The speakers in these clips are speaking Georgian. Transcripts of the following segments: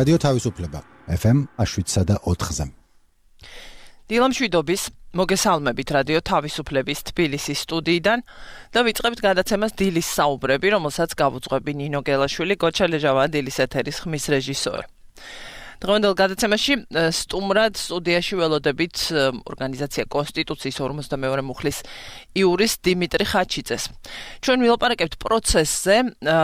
რადიო თავისუფლება FM 107.4-ზე. დილამშვიდობის მოგესალმებით რადიო თავისუფლების თბილისის სტუდიიდან და ვიწყებთ გადაცემას დილის საუბრები, რომელსაც გავუძღვები ნინო გელაშვილი, გოჩალეჟავა დილის ეთერის ხმის რეჟისორი. დღევანდელ გადაცემაში სტუმრად სტუდიაში ველოდებით ორგანიზაცია კონსტიტუციის 52 მუხლის იურის დიმიტრი ხაჩიძეს. ჩვენ ვილაპარაკებთ პროცესზე,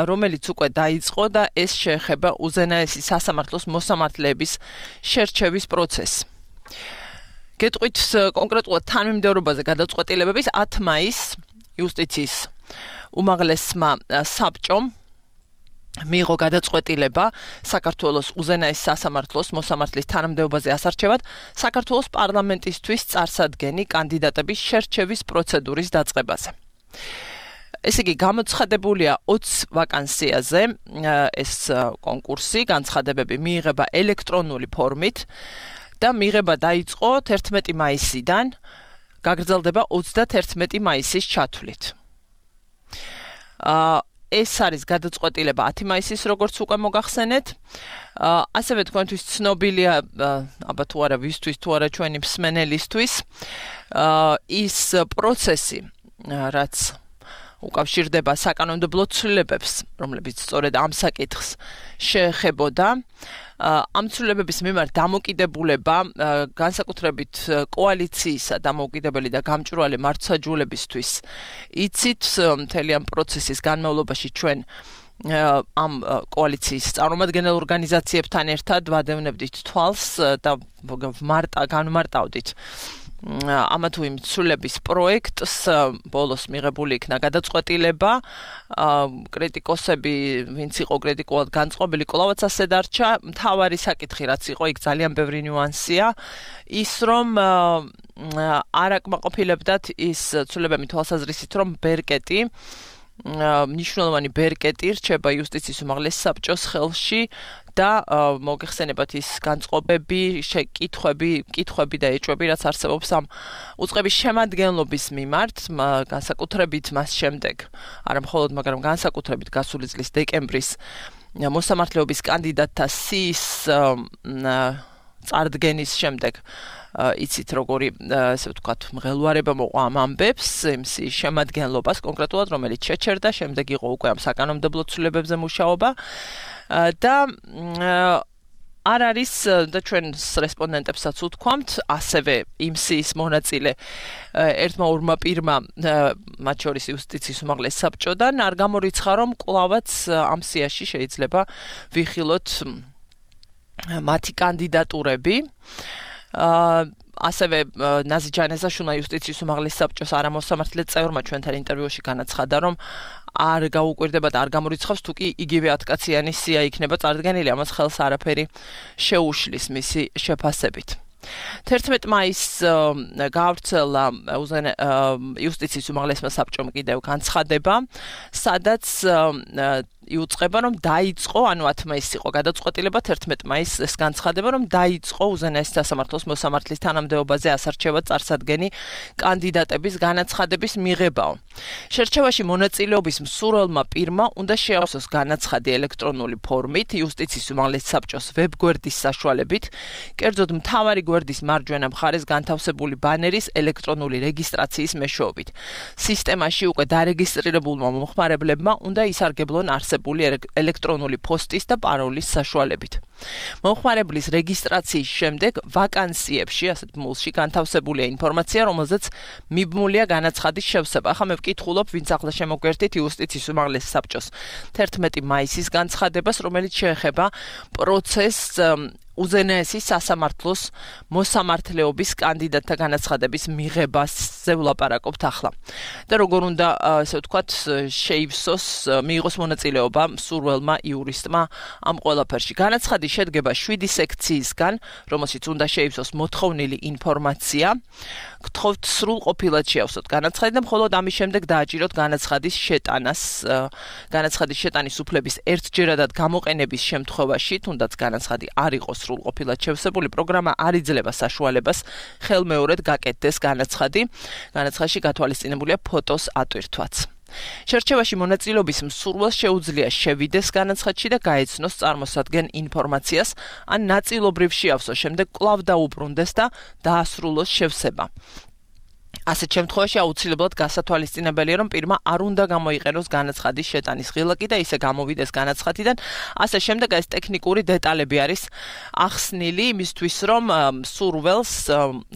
რომელიც უკვე დაიწყო და ეს შეეხება უზენაესი სასამართლოს მოსამართლეების შერჩევის პროცესს. გეტყვით კონკრეტულად თანმიმდევრობაზე გადაწყვეტილებების 10 მაისს იუსტიციის უმაღლესმა საბჭომ მიიღო გადაწყვეტილება საქართველოს უზენაეს სასამართლოს მოსამართლის თანამდებობაზე ასარჩევად საქართველოს პარლამენტისთვის წარსადგენი კანდიდატების შერჩევის პროცედურის დაწყებაზე. ესე იგი, გამოცხადებულია 20 ვაკანსიაზე ეს კონკურსი, განცხადებები მიიღება ელექტრონული ფორმით და მიღება დაიწყო 11 მაისიდან, გაგრძელდება 31 მაისის ჩათვლით. ეს არის გადაწყვეტილება 10 მაისის, როგორც უკვე მოგახსენეთ. ასევე თქვენთვის ცნობილია, აბა თუ არა ვისთვის, თუ არა ჩვენი მსმენელისთვის, ის პროცესი, რაც უკავშირდება საკანონმდებლო ცვლილებებს, რომლებიც სწორედ ამ საკითხს შეეხებოდა. ამ ცვლილებების მიმართ დამოკიდებულება განსაკუთრებით კოალიციისა დამოუკიდებელი და გამჭვირვალე მართლმსაჯულებისთვის იცით მთელი ამ პროცესის განმავლობაში ჩვენ ამ კოალიციის წარმომადგენელ ორგანიზაციებთან ერთად ვადევნებდით თვალს და განმარტავდით ამა თუ იმ ცვლილების პროექტს. ბოლოს მიღებული იქნა გადაწყვეტილება. კრიტიკოსები, ვინც იყო კრიტიკულად განწყობილი, კვლავაც ასე დარჩა. მთავარი საკითხი, რაც იყო, იქ ძალიან ბევრი ნიუანსია, ის რომ არ აკმაყოფილებდათ ის ცვლილებები თვალსაზრისით, რომ ბერკეტი, მნიშვნელოვანი ბერკეტი რჩება იუსტიციის უმაღლეს საბჭოს ხელში და მოგეხსენებათ ის განწყობები, კითხვები და ეჭვები, რაც არსებობს ამ უწყების შემადგენლობის მიმართ, განსაკუთრებით მას შემდეგ, არა მხოლოდ, მაგრამ განსაკუთრებით გასული წლის დეკემბრის მოსამართლეობის კანდიდატთა სიის წარდგენის შემდეგ. იცით როგორი, ესე ვთქვათ, მღელვარება მოყვა ამ ამბებს, იმ სიის შემადგენლობას კონკრეტულად, რომელიც შეჩერდა, შემდეგ იყო უკვე ამ საკანონმდებლო ცვლილებებზე მუშაობა და არ არის და ჩვენ რესპონდენტებსაც ვთქვამთ, ასევე იმ სიის მონაწილე ერთმა ორმა პირმა, მათ შორის იუსტიციის უმაღლეს საბჭოდან, არ გამორიცხა, რომ კვლავაც ამ სიაში შეიძლება ვიხილოთ მათი კანდიდატურები. ასევე ნაზი ჯანეზაშვილმა იუსტიციის უმაღლეს საბჭოს არამოსამართლე წევრმა ჩვენთან ინტერვიუში განაცხადა, რომ არ გაუკვირდება და არ გამორიცხავს, თუ კი იგივე 10-კაციანი სია იქნება წარდგენილი, ამას ხელს არაფერი შეუშლის მისი შეფასებით. 11 მაისს გაავრცელა იუსტიციის უმაღლესმა საბჭომ კიდევ განცხადება, სადაც იუწყება, რომ დაიწყო, ანუ 10 მაისს იყო გადაწყვეტილება, 11 მაისს ეს განცხადება, რომ დაიწყო უზენაესი სასამართლოს მოსამართლის თანამდებობაზე ასარჩევად წარსადგენი კანდიდატების განაცხადების მიღებაო. შერჩევაში მონაწილეობის მსურველმა პირმა უნდა შეავსოს განაცხადი ელექტრონული ფორმით იუსტიციის უმაღლეს საბჭოს ვებგვერდის საშუალებით, კერძოდ მთავარი გვერდის მარჯვენა მხარეს განთავსებული ბანერის ელექტრონული რეგისტრაციის მეშვეობით. სისტემაში უკვე დარეგისტრირებულმა მომხმარებლებმა უნდა ისარგებლონ ელექტრონული პოსტის და პაროლის საშუალებით. მომხმარებლის რეგისტრაციის შემდეგ ვაკანსიებში, ასეთ მულში განთავსებულია ინფორმაცია, რომელზეც მიბმულია განაცხადის შევსება. ახლა მე ვკითხულობ, ვინც ახლა შემოგვერთით იუსტიციის უმაღლეს საბჭოს 11 მაისის განცხადებას, რომელიც შეეხება პროცესს უზენაესი სასამართლოს მოსამართლეობის კანდიდატთა განაცხადების მიღებაზე ვლაპარაკობთ ახლა. და როგორ უნდა, ასე ვთქვათ, შეივსოს, მიიღოს მონაწილეობა მსურველმა იურისტმა ამ ყველაფერში. განაცხადი შედგება 7 სექციისგან, რომელშიც უნდა შეივსოს მოთხოვნილი ინფორმაცია. გთხოვთ სრულყოფილად შეავსოთ განაცხადი და მხოლოდ ამის შემდეგ დააჭიროთ განაცხადის შეტანის უფლების ერთჯერადად გამოყენების შემთხვევაში, თუნდაც განაცხადი არ იყოს სრულყოფილად შევსებული, პროგრამა არ იძლევა საშუალებას ხელმეორედ გაკეთდეს განაცხადი. განაცხადში გათვალისწინებულია ფოტოს ატვირთვაც. შერჩევაში მონაწილეობის მსურველს შეუძლია შევიდეს განაცხადში და გაეცნოს წარმოსადგენ ინფორმაციას, ან ნაწილობრივ შეავსოს, შემდეგ კვლავ დაუბრუნდეს და დაასრულოს შევსება. ასეთ შემთხვევაში აუცილებლად გასათვალისწინებელია, რომ პირმა არ უნდა გამოიყენოს განაცხადის შეტანის ღილაკი და ისე გამოვიდეს განაცხადიდან. ასე შემდეგ ეს ტექნიკური დეტალები არის ახსნილი იმისთვის, რომ მსურველს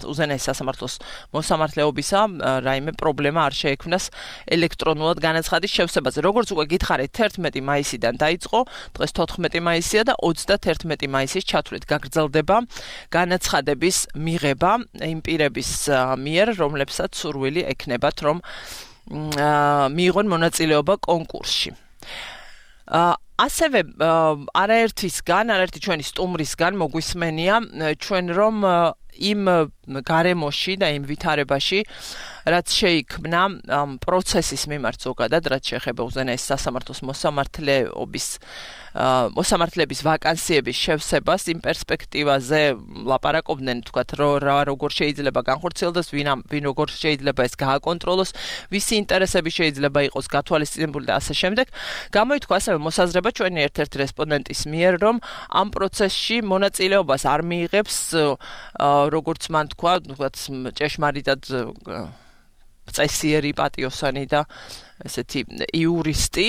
უზენაეს სასამართლოს მოსამართლეობისა რაიმე პრობლემა არ შეექმნას ელექტრონულად განაცხადის შევსებაზე. როგორც უკვე გითხარით, 11 მაისიდან დაიწყო, დღეს 14 მაისია და 31 მაისის ჩათვლით გაგრძელდება განაცხადების მიღება იმ პირების მიერ, რომლებსაც სურვილი ექნებათ, რომ მიიღონ მონაწილეობა კონკურსში. ასევე არაერთი ჩვენი სტუმრისგან მოგვისმენია ჩვენ რომ იმ გარემოში და იმ ვითარებაში რაც შეიქმნა პროცესის მიმართ ზოგადად, რაც შეეხება უზენაეს სასამართლოს მოსამართლეების ვაკანსიების შევსებას, იმ პერსპექტივაზე ლაპარაკობდნენ, თქვათ, როგორ შეიძლება განხორციელდეს, ვინ როგორ შეიძლება ეს გააკონტროლოს, ვისი ინტერესები შეიძლება იყოს გათვალისწინებული და ასე შემდეგ. გამოითქვა ასევე მოსაზრება ჩვენი ერთ-ერთი რესპონდენტის მიერ, რომ ამ პროცესში მონაწილეობას არ მიიღებს, როგორც მან თქვა, ჭეშმარიტად წესიერი პატიოსანი და ესეთი იურისტი,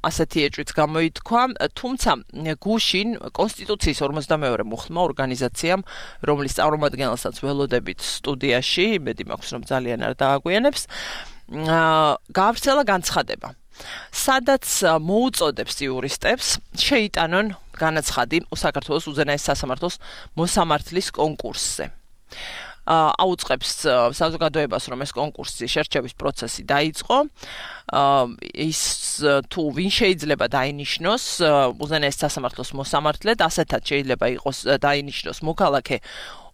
ასეთი ეჭვიც გამოითქვა, თუმცა გუშინ კონსტიტუციის 42 მუხლმა ორგანიზაციამ, რომლის წარმომადგენელსაც ველოდებით სტუდიაში, იმედი მაქვს, რომ ძალიან არ დააგვიანებს, გაავრცელა განცხადება, სადაც მოუწოდებს იურისტებს შეიტანონ განაცხადი საქართველოს უზენაეს სასამართლოს მოსამართლის კონკურსზე. აუწყებს საზოგადოებას, რომ ეს კონკურსი შერჩევის პროცესი დაიწყო, ის თუ ვინ შეიძლება დაინიშნოს უზენაეს სასამართლოს მოსამართლედ, ასეთად შეიძლება იყოს დაინიშნოს მოქალაქე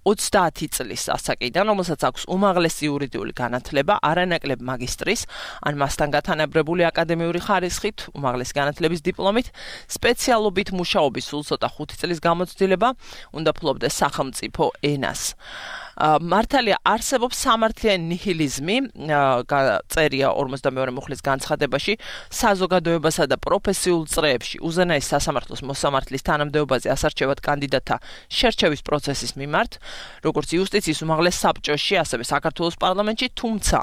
30 წლის ასაკიდან, რომელსაც აქვს უმაღლესი იურიდიული განათლება, არანაკლებ მაგისტრის, ან მასთან გათანაბრებული აკადემიური ხარისხით, უმაღლესი განათლების დიპლომით, სპეციალობით მუშაობის სულ ცოტა 5 წლის გამოცდილება, უნდა ფლობდეს სახელმწიფო ენას. მართალია არსებობს სამართლიანი ნიჰილიზმი, წერია 42 მუხლის განცხადებაში, საზოგადოებასა და პროფესიულ წრეებში უზენაეს სასამართლოს მოსამართლის თანამდებობაზე ასარჩევად კანდიდატთა შერჩევის პროცესის მიმართ, როგორც იუსტიციის უმაღლეს საბჭოში, ასევე საქართველოს პარლამენტში, თუმცა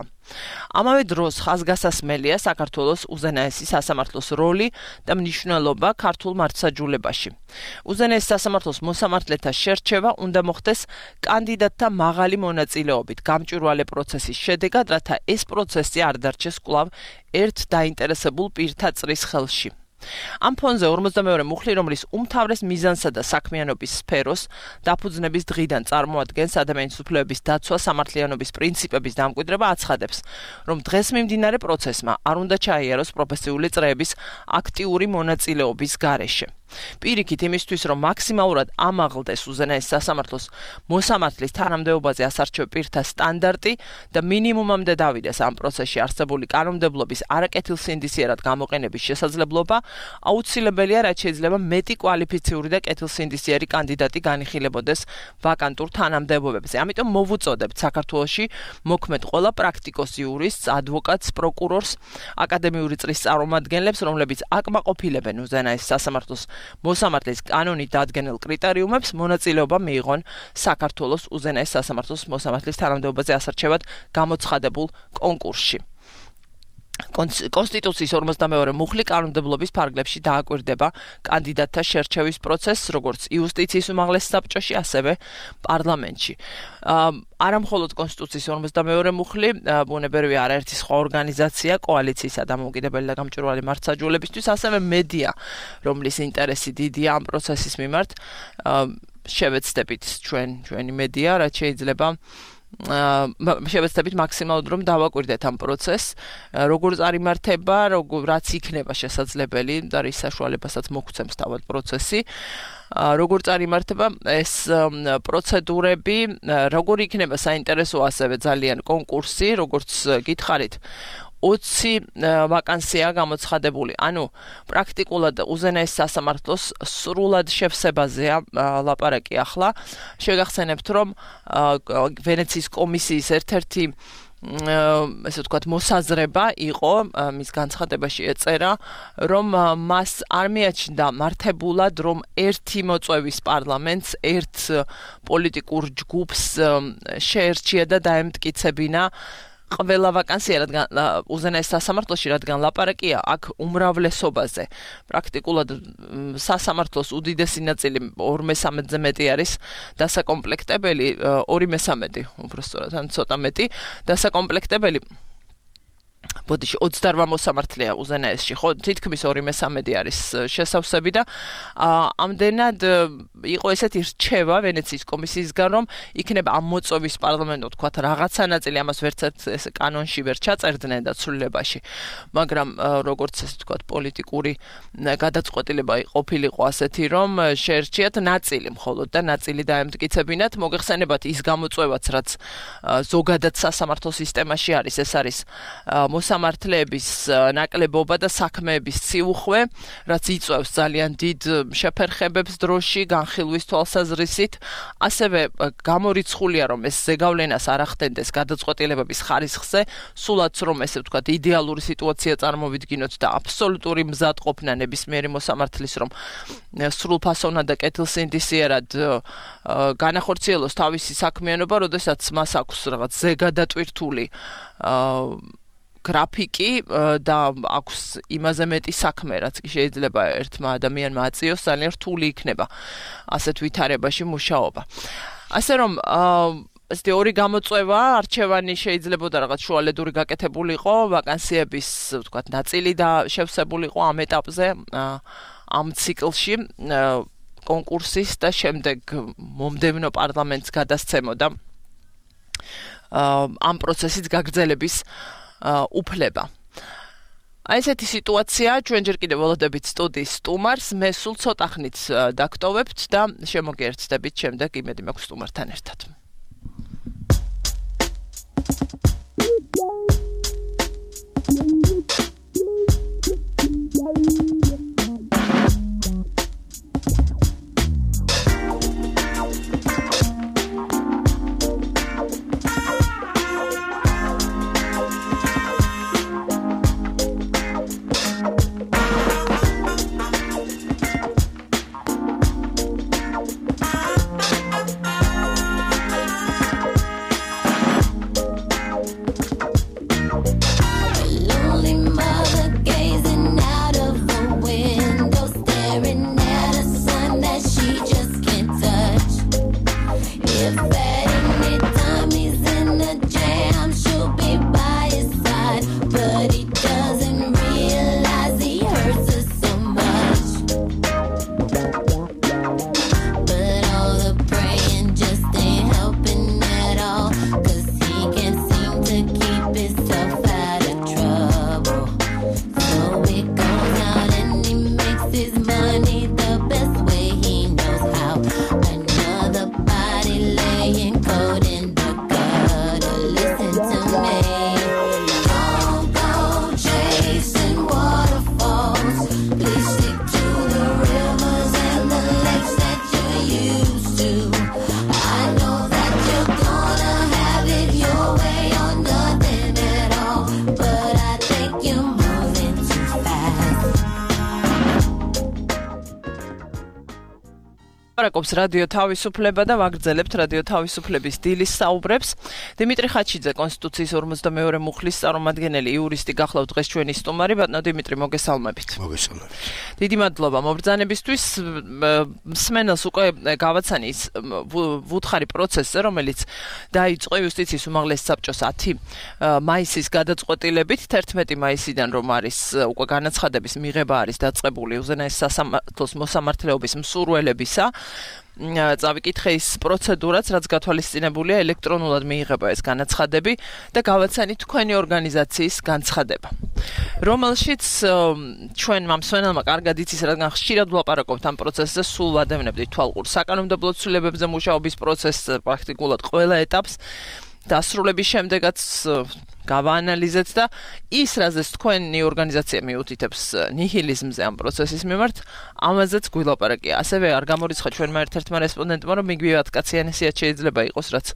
ამავე დროს ხაზგასასმელია საქართველოს უზენაესი სასამართლოს როლი და მნიშვნელობა ქართულ მართლმსაჯულებაში. უზენაეს სასამართლოს მოსამართლეთა შერჩევა უნდა მოხდეს კანდიდატთა მაღალი მონაწილეობით გამჭვირვალე პროცესის შედეგად, რათა ეს პროცესი არ დარჩეს კვლავ ერთ დაინტერესებულ პირთა წრის ხელში. ამ ფონზე 42 მუხლი, რომლის უმთავრეს მიზანსა და საქმიანობის სფეროს დაფუძნების დღიდან წარმოადგენს ადამიანის უფლებების დაცვა, სამართლიანობის პრინციპების დამკვიდრება, აცხადებს, რომ დღეს მიმდინარე პროცესმა არ უნდა ჩაიაროს პროფესიული წრეების აქტიური მონაწილეობის გარეშე. პირიქით იმისთვის, რომ მაქსიმალურად ამაღლდეს უზენაეს სასამართლოს მოსამართლის თანამდებობაზე ასარჩევ პირთა სტანდარტი და მინიმუმამდე დავიდეს ამ პროცესში არსებული კანონმდებლობის არაკეთილსინდისიერად გამოყენების შესაძლებლობა, აუცილებელია, რაც შეიძლება მეტი კვალიფიციური და კეთილსინდისიერი კანდიდატი განიხილებოდეს ვაკანტურ თანამდებობებზე. ამიტომ მოვუწოდებთ საქართველოში მოქმედ ყველა პრაქტიკოს იურისტს, ადვოკატს, პროკურორს, აკადემიური წრის წარმომადგენლებს, რომლებიც აკმაყოფილებენ უზენაეს სასამართლოს მოსამართლის კანონით დადგენილ კრიტერიუმებს, მონაწილეობა მიიღონ საქართველოს უზენაეს სასამართლოს მოსამართლის თანამდებობაზე ასარჩევად გამოცხადებულ კონკურსში. კონსტიტუციის 42 მუხლი კანონმდებლობის ფარგლებში დააკვირდება კანდიდატთა შერჩევის პროცესს, როგორც იუსტიციის უმაღლეს საბჭოში, ასევე პარლამენტში. არა მხოლოდ კონსტიტუციის 42 მუხლი, ბუნებრივია არაერთი სხვა ორგანიზაცია, კოალიციისა დამოუკიდებელი და გამჭვირვალე მართლმსაჯულებისთვის, ასევე მედია, რომლის ინტერესი დიდია ამ პროცესის მიმართ, შევეცდებით ჩვენი მედია, რაც შეიძლება შევეცდებით მაქსიმალურად რომ დავაკვირდეთ ამ პროცესს, როგორ წარიმართება, რაც იქნება შესაძლებელი და რის საშუალებასაც მოგვცემს თავად პროცესი, როგორ წარიმართება ეს პროცედურები, როგორ იქნება საინტერესო ასევე ძალიან კონკურსი, როგორც გითხარით, 20 ვაკანსია გამოცხადებული. ანუ პრაქტიკულად უზენაეს სასამართლოს სრულად შევსებაზეა ლაპარაკი ახლა. შეგახსენებთ, რომ ვენეციის კომისიის ერთ-ერთი ესე ვთქვათ, მოსაზრება იყო მის განცხადებაში ეწერა, რომ მას არ მიაჩნდა მართებულად, რომ ერთი მოწვევის პარლამენტს ერთ პოლიტიკურ ჯგუფს შეერჩია და დაემტკიცებინა ყველა ვაკანსია, რადგან უზენაეს სასამართლოში, რადგან ლაპარაკია აქ უმრავლესობაზე. პრაქტიკულად სასამართლოს უდიდესი ნაწილი 2/3-ზე მეტი არის დასაკომპლექტებელი, 2/3, უბრალოდ ან ცოტა მეტი დასაკომპლექტებელი. ბოდიში 28 მოსამართლეა უზენაესში, ხო, თითქმის 2/3 არის შესავსები და ამდენად იყო ესეთი რჩევა ვენეციის კომისიისგან, რომ იქნება ამ მოწვევის პარლამენტო, თქვათ, რაღაცა ნაწილი, ამას ვერც ეს კანონში ვერ ჩაწერდნენ და ცვლილებაში, მაგრამ როგორც ეს თქვათ, პოლიტიკური გადაწყვეტილება ყოფილიყო ასეთი, რომ შეერჩიათ ნაწილი მხოლოდ და ნაწილი დაემტკიცებინათ, მოგეხსენებათ ის გამოწვევაც, რაც ზოგადად სასამართლო სისტემაში არის, ეს არის მოსამართლეების ნაკლებობა და საქმეების ციუხვე, რაც იწვევს ძალიან დიდ შეფერხებებს დროში, განხილვის თვალსაზრისით, ასევე გამორიცხულია, რომ ეს ზეგავლენას არ ახდენდეს გადაწყვეტილებების ხარისხზე, სულაც რომ ესე ვთქვათ, იდეალური სიტუაცია წარმოვიდგინოთ და აბსოლუტური მზადყოფნა ნებისმიერი მოსამართლის, რომ სრულფასოვნად და კეთილსინდისიერად განახორციელოს თავისი საქმიანობა, როდესაც მას აქვს რაღაც ზეგადატვირთული გრაფიკი და აქვს იმაზე მეტი საქმე, რაც კი შეიძლება ერთმა ადამიანმა აწიოს, ძალიან რთული იქნება ასეთ ვითარებაში მუშაობა. ასე რომ ესეთი ორი გამოწვევა, არჩევანი შეიძლებოდა რაღაც შუალედური გაკეთებულიყო, ვაკანსიების, ვთქვათ, ნაწილი და შევსებულიყო ამ ეტაპზე, ამ ციკლში კონკურსის და შემდეგ მომდევნო პარლამენტს გადასცემოდა ამ პროცესის გაგრძელების უფლება. აი ესეთი სიტუაცია, ჩვენ ჯერ კიდევ ველოდებით სტუდიის სტუმარს, მე სულ ცოტა ხნით დაგტოვებთ და შემოგერთდებით შემდეგ, იმედი მაქვს სტუმართან ერთად. ლაპარაკობს რადიო თავისუფლება და ვაგრძელებთ რადიო თავისუფლების დილის საუბრებს. დიმიტრი ხაჩიძე, კონსტიტუციის 52 მუხლის წარმომადგენელი, იურისტი გახლავთ დღეს ჩვენი სტუმარი. ბატონო დიმიტრი, მოგესალმებით. მოგესალმებით. დიდი მადლობა მობრძანებისთვის. მსმენელს უკვე გავაცანი ის ვუთხარი პროცესზე, რომელიც დაიწყო იუსტიციის უმაღლესი საბჭოს 10 მაისის გადაწყვეტილებით. 11 მაისიდან რომ არის უკვე განაცხადების მიღება არის დაწყებული უზენაეს სასამართლოს მოსამართლეობის მსურველებისა. წავიკითხე ის პროცედურაც, რაც გათვალისწინებულია ელექტრონულად მიიღება ეს განაცხადები და გავაცანით თქვენი ორგანიზაციის განცხადება, რომელშიც ჩვენ მსმენელმა კარგად იცის, რადგან ხშირად ვლაპარაკობთ ამ პროცესზე, სულ ვადევნებდით თვალყურს საკანონმდებლო ცვლილებებზე მუშაობის პროცესს, პრაქტიკულად ყველა ეტაპს დასრულების შემდეგაც გავაანალიზეთ და ის რაზეც თქვენი ორგანიზაცია მიუთითებს ნიჰილიზმზე ამ პროცესის მიმართ, ამაზეც გვილაპარაკია. ასევე არ გამორიცხა ჩვენმა ერთ-ერთმა რესპონდენტმა, რომ იგივე 10 კაციანი სიაც შეიძლება იყოს, რაც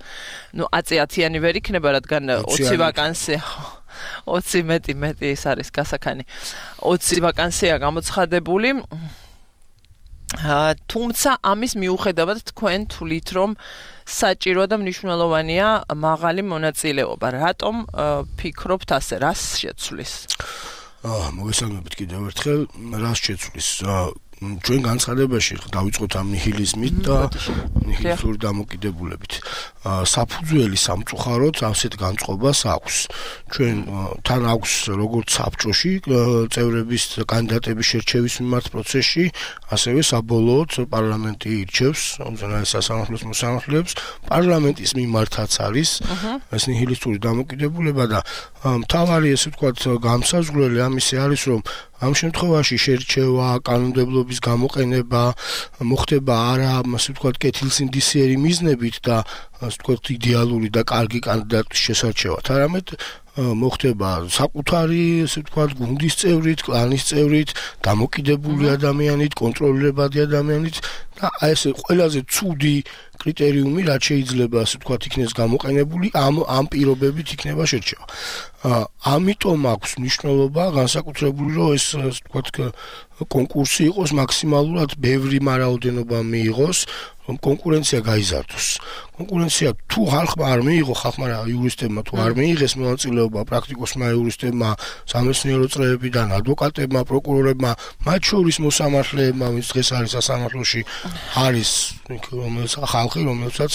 10-10-იანი ვერ იქნება, რადგან 20 ვაკანსია 20 მეტი ის არის გასაქანი. 20 ვაკანსია გამოცხადებული. თუმცა ამის მიუხედავად თქვენ თვლით, რომ საჭირო და მნიშვნელოვანია მაღალი მონაწილეობა. რატომ ფიქრობთ ასე, რას შეცვლის? მოგესალმებით კიდევ ერთხელ, რას შეცვლის? ჩვენ განცხადებაში დავიწყოთ ამ ნიჰილიზმით და ნიჰილისტური დამოკიდებულებით. საფუძველი სამწუხაროდ ასეთ განწყობას აქვს. ჩვენ თან აქვს როგორც საბჭოში წევრების კანდიდატების შერჩევის მიმართ პროცესში, ასევე საბოლოოდ პარლამენტი ირჩევს უზენაეს სასამართლოს მოსამართლეებს. პარლამენტის მიმართაც არის ეს ნიჰილისტური დამოკიდებულება და მთავარი ესე ვთქვათ გამსაზღვრელი ამისი არის, რომ ამ შემთხვევაში შერჩევა, კანონმდებლობის გამოყენება მოხდება არა, ასე ვთქვათ, კეთილსინდისიერი მიზნებით და ასე ვთქვათ იდეალური და კარგი კანდიდატის შესარჩევად, არამედ მოხდება საკუთარი, ასე ვთქვათ, გუნდის წევრით, კლანის წევრით, დამოკიდებული ადამიანით, კონტროლირებადი ადამიანით და ეს ყველაზე ცუდი კრიტერიუმი, რაც შეიძლება, ასე ვთქვათ, იქნეს გამოყენებული, ამ პირობებით იქნება შერჩევა. ამიტომ აქვს მნიშვნელობა განსაკუთრებული, რომ ეს, ასე ვთქვათ, კონკურსი იყოს მაქსიმალურად ბევრი მარაოდენობა მიიღოს, რომ კონკურენცია გაიზარდოს. კონკურენცია თუ ხალხმა არ მიიღო, ხალხმა იურისტებმა თუ არ მიიღეს მონაწილეობა პრაქტიკოსმა იურისტებმა, სამეცნიერო წრეებიდან, ადვოკატებმა, პროკურორებმა, მათ შორის მოსამართლეებმა, ვინც დღეს არის სასამართლოში, არის რომელიც ხალხი, რომელსაც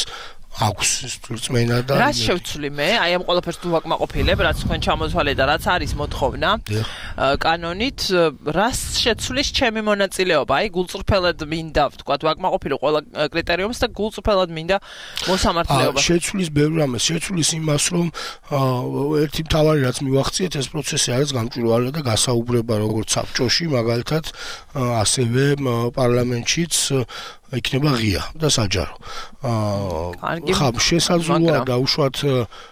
აქვს რწმენა და რა შევცვლი მე? აი ამ ყველაფერს თუ ვაკმაყოფილებ, რაც თქვენ ჩამოთვალეთ და რაც არის მოთხოვნა კანონით, რას შეცვლის ჩემი მონაწილეობა? აი გულწრფელად მინდა, ვთქვათ, ვაკმაყოფილო ყველა კრიტერიუმს და გულწრფელად მინდა მოსამართლეობა. შეცვლის ბევრ რამეს, შეცვლის იმას, რომ ერთი მთავარი რაც მივახციეთ, ეს პროცესი არის გამჭვირვალე და გასაუბრება როგორც საბჭოში, მაგალითად, ასევე პარლამენტშიც იქნება ღია და საჯარო. ხა შესაძლოა დაუშვათ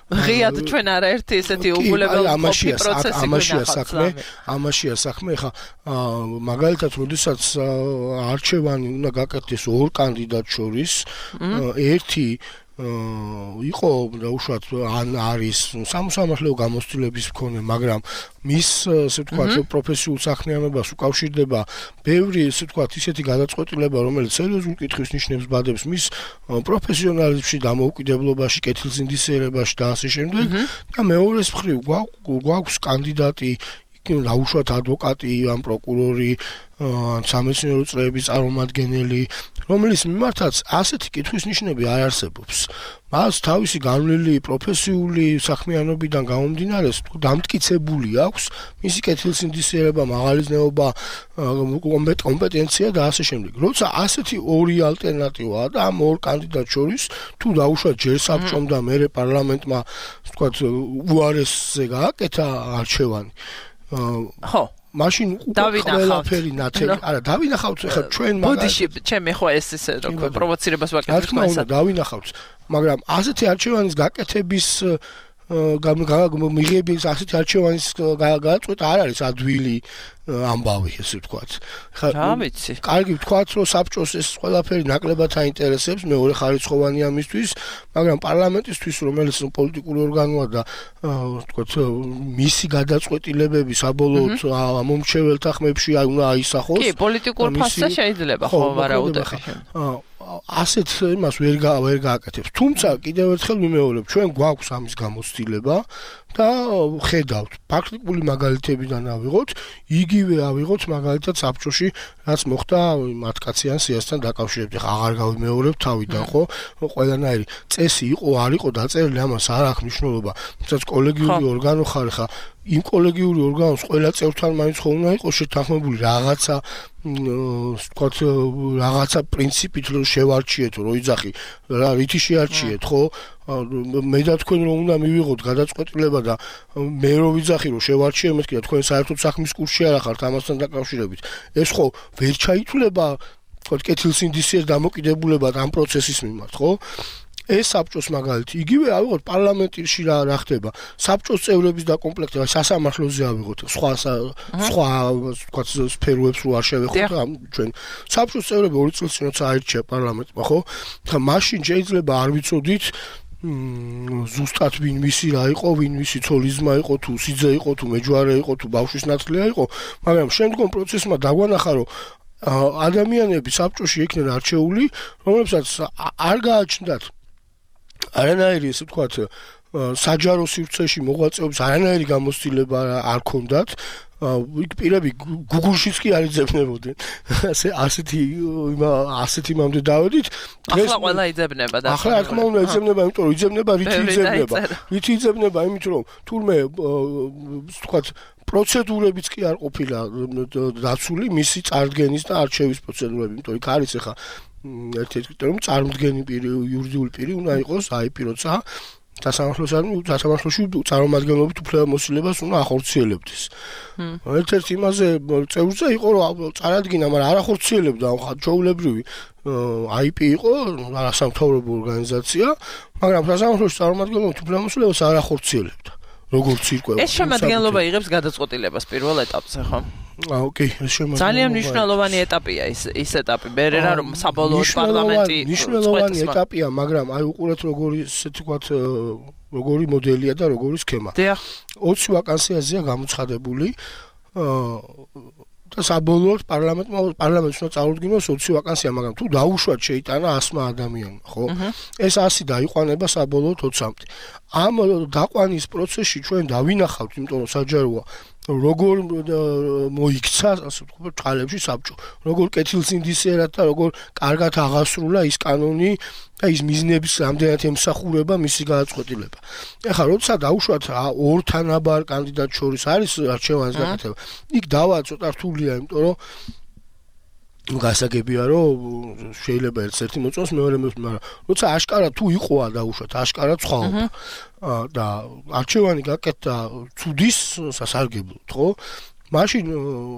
ღიად ჩვენ არაერთი ესეთი უგულებელ პროცესი ამაშია საქმე. ხა მაგალითად, როდესაც არჩევანი უნდა გაკეთდეს ორ კანდიდატს შორის, ერთი იყო დაუშვათ ან არის სამოსამართლეო გამოცდილების მქონე, მაგრამ მის ასე ვთქვათ პროფესიულ საქმიანობას უკავშირდება ბევრი ასე ვთქვათ ისეთი გადაწყვეტილება, რომელიც სერიოზულ კითხვის ნიშნებს ბადებს მის პროფესიონალიზმში, დამოუკიდებლობაში, კეთილსინდისიერებაში და ასე შემდეგ. და მეორეს მხრივ გვაქვს კანდიდატი, დაუშვათ ადვოკატი, ან პროკურორი, ან სამეცნიერო წრეების წარმომადგენელი, რომელიც მიმართაც ასეთი კითხვის ნიშნები არ არსებობს. მას თავისი განვლილი პროფესიული საქმიანობიდან გამომდინარე დამტკიცებული აქვს მისი კეთილსინდისიერება, მაღალიზნეობა, კომპეტენცია და ასე შემდეგ. როცა ასეთი ორი ალტერნატივაა და ამ ორ კანდიდატს შორის თუ დაუშვათ ჯერ საბჭომ და მერე პარლამენტმა, ვთქვათ, უარესზე გააკეთა არჩევანი. ხო მაშინ ყველაფერი ნათელი, არა, დავინახავთ ხა ჩვენ ბოდიში, ჩემი ხო ეს როგორ პროვოცირებას ვაკეთებ. რა თქმა უნდა, დავინახავთ, მაგრამ ასეთი არჩევანის გაკეთების მიღების ასეთი არჩევანის გადაწყვეტა არ არის ადვილი ამბავი, ესე ვთქვათ. ხა ვიცი. კარგი ვთქვათ, რომ საბჭოს ეს ყველაფერი ნაკლებად აინტერესებს, მეორე ხარისხოვანია მისთვის, მაგრამ პარლამენტისთვის, რომელიც პოლიტიკური ორგანოა და ვთქვათ, მისი გადაწყვეტილებები საბოლოოდ მომრჩეველთა ხმებში უნდა აისახოს. კი, პოლიტიკურ ფასზე შეიძლება ხო ვარაუდები. ასეთ იმას ვერ გააკეთებს. თუმცა კიდევ ერთხელ ვიმეორებ, ჩვენ გვაქვს ამის გამოცდილება და ხედავთ, პრაქტიკული მაგალითებიდან ავიღოთ, იგივე ავიღოთ მაგალითად საბჭოში, რაც მოხდა 10 კაციან სიასთან დაკავშირებით. აღარ გავიმეორებ თავიდან, ხო? ყველანაირი წესი იყო, არ იყო დაწერილი, ამას არ აქვს მნიშვნელობა. თუმცა კოლეგიური ორგანო ხარ, ხა იმ კოლეგიური ორგანოს ყველა წევრთან მაინც ხო უნდა იყოს შეთანხმებული რაღაცა, ვთქვათ, რაღაცა პრინციპით რომ შევარჩიეთ, რომ იძახი, რითი შეარჩიეთ, ხო? მე და თქვენ რომ უნდა მივიღოთ გადაწყვეტილება და მე რომ ვიძახი რომ შევარჩიე, მეთქი და თქვენ საერთოდ საქმის კურსში არ ახართ ამასთან დაკავშირებით. ეს ხო ვერ ჩაითვლება, ვთქვათ, კეთილსინდისიერ დამოკიდებულებად ამ პროცესის მიმართ, ხო? ეს საბჭოს მაგალითი იგივე ავიღოთ პარლამენტში რა ხდება საბჭოს წევრების დაკომპლექტება სასამართლოზე ავიღოთ სხვა თქვა სფეროებს რო არ შევეხოთ ჩვენ საბჭოს წევრები 2 წელს წინ როცა აირჩია პარლამენტმა ხო ხა მაშინ შეიძლება არ ვიცოდით ზუსტად ვინ მისი რა იყო, ვინ მისი ცოლიზმა იყო, თუ სიძე იყო, თუ მეჯვარე იყო, თუ ბავშვის ნათლია იყო, მაგრამ შემდგომ პროცესმა დაგვანახა, რომ ადამიანები საბჭოში იქნენ არჩეული, რომლებსაც არ გააჩნდათ არანაირი ესე ვთქვათ საჯარო სივრცეში მოღვაწეობის არანაირი გამოცდილება არ ქონდათ იქ პირები Google-შიც კი არ იძებნებოდნენ. ასეთი იმამდე დავედით. ახლა ყველა იძებნება და ახლა რა თქმა უნდა იძებნება, იმიტომ რომ იძებნება, რითი იძებნება. რითი იძებნება, იმით რომ თურმე ვთქვათ პროცედურებიც კი არ ყოფილა დაცული მისი წარდგენის და არჩევის პროცედურები, იმიტომ იქ არის ახლა ერთ-ერთი კრიტერიუმი წარმდგენი პირი, იურიდიული პირი უნდა იყოს, IP როცა სასამართლოში წარმომადგენლობით უფლებამოსილებას უნდა ახორციელებდეს. ერთ-ერთი იმაზე წევრზე იყო რომ წარადგინა, მაგრამ არ ახორციელებდა, ჩვეულებრივი IP იყო, არასამთავრობო ორგანიზაცია, მაგრამ სასამართლოში წარმომადგენლობით უფლებამოსილებას არ ახორციელებდა. როგორც ირკვევა. ეს შემადგენლობა იღებს გადაწყვეტილებას პირველ ეტაპზე, ხო? ოკეი, ეს შემადგენლობა. ძალიან მნიშვნელოვანი ეტაპია ის ეტაპი. მერერა რომ საბოლოოდ პარლამენტი მნიშვნელოვანი ეტაპია, მაგრამ აი უყურეთ როგორი ესე თქვათ როგორი მოდელია და როგორი სქემა. 20 ვაკანსიაზეა გამოცხადებული და საბოლოოდ პარლამენტს უნდა წარუდგინოს 20 ვაკანსია, მაგრამ თუ დაუშვათ შეიტანა 100 ადამიანმა, ხო? ეს 100 დაიყვანება საბოლოოდ 20-მდე. ამ დაყვანის პროცესში ჩვენ დავინახავთ, იმიტომ რომ საჯაროა როგორ მოიქცა, ასე ვთქვათ, ჭალებში საბჭო. როგორ კეთილსინდისიერად და როგორ კარგად აღასრულა ის კანონი და ის მიზნების რამდენად ემსახურება მისი გადაწყვეტილება. ეხლა როცა დაუშვათ ორ თანაბარ კანდიდატ შორის არის არჩევანის გაკეთება. იქ დავა ცოტა რთულია, იმიტომ რომ გასაგებია რომ შეიძლება ერთ-ერთი მოწონს მეორე მოწონს, მაგრამ როცა აშკარა თუ იყოა დაუშვათ, აშკარა ცხოვა და არჩევანი გაკეთდა ცუდის სასარგებლოდ, ხო? მაშინ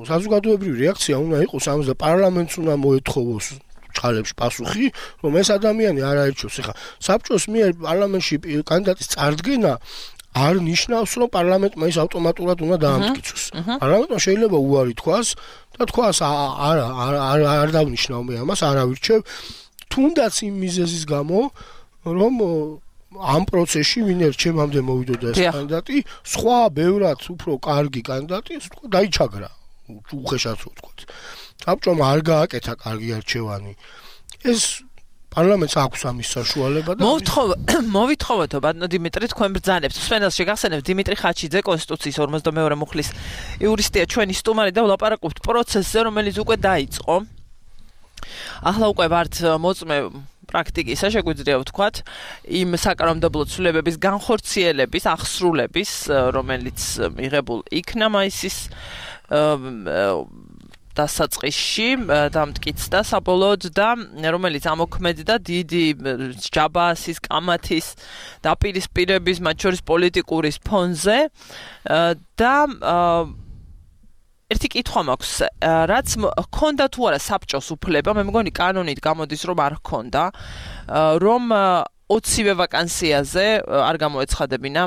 საზოგადოებრივი რეაქცია უნდა იყოს ამაზე და პარლამენტს უნდა მოეთხოვოს ჭალებში პასუხი, რომ ეს ადამიანი არ აირჩიოს. ეხლა საბჭოს მიერ პარლამენტში კანდიდატის წარდგენა არ ნიშნავს, რომ პარლამენტმა ის ავტომატურად უნდა დაამტკიცოს. პარლამენტმა შეიძლება უარი თქვას და თქვას არ დავნიშნავ მე ამას, არ ავირჩევ, თუნდაც იმ მიზეზის გამო, რომ ამ პროცესში ვინ ერჩევამდე მოვიდოდა ეს კანდიდატი, სხვა ბევრად უფრო კარგი კანდიდატი დაიჩაგრა, უხეშად რო ვთქვათ. საბჭომ არ გააკეთა კარგი არჩევანი. ეს პარლამენტს აქვს ამის საშუალება და მოვითხოვოთო ბატონო დიმიტრი თქვენ ბრძანებთ. სვენელს შეგახსენებთ დიმიტრი ხაჩიძე კონსტიტუციის 52 მუხლის იურისტია ჩვენი სტუმარი და ვლაპარაკობთ პროცესზე, რომელიც უკვე დაიწყო. ახლა უკვე ვართ მოწმე პრაქტიკისა, შეგვიძლია ვთქვათ, იმ საკანონმდებლო ცვლილებების განხორციელების, აღსრულების, რომელიც მიღებულ იქნა მაისის დასაწყისში დამტკიცდა საბოლოოდ და რომელიც ამოქმედდა დიდი ჯაბაასის, კამათის დაპირისპირების, მათ შორის პოლიტიკური ფონზე და ერთი კითხვა მაქვს, რაც ჰქონდა თუ არა საბჭოს უფლება, მე მგონი კანონით გამოდის რომ არ ჰქონდა, რომ 20-ვე ვაკანსიაზე არ გამოეცხადებინა.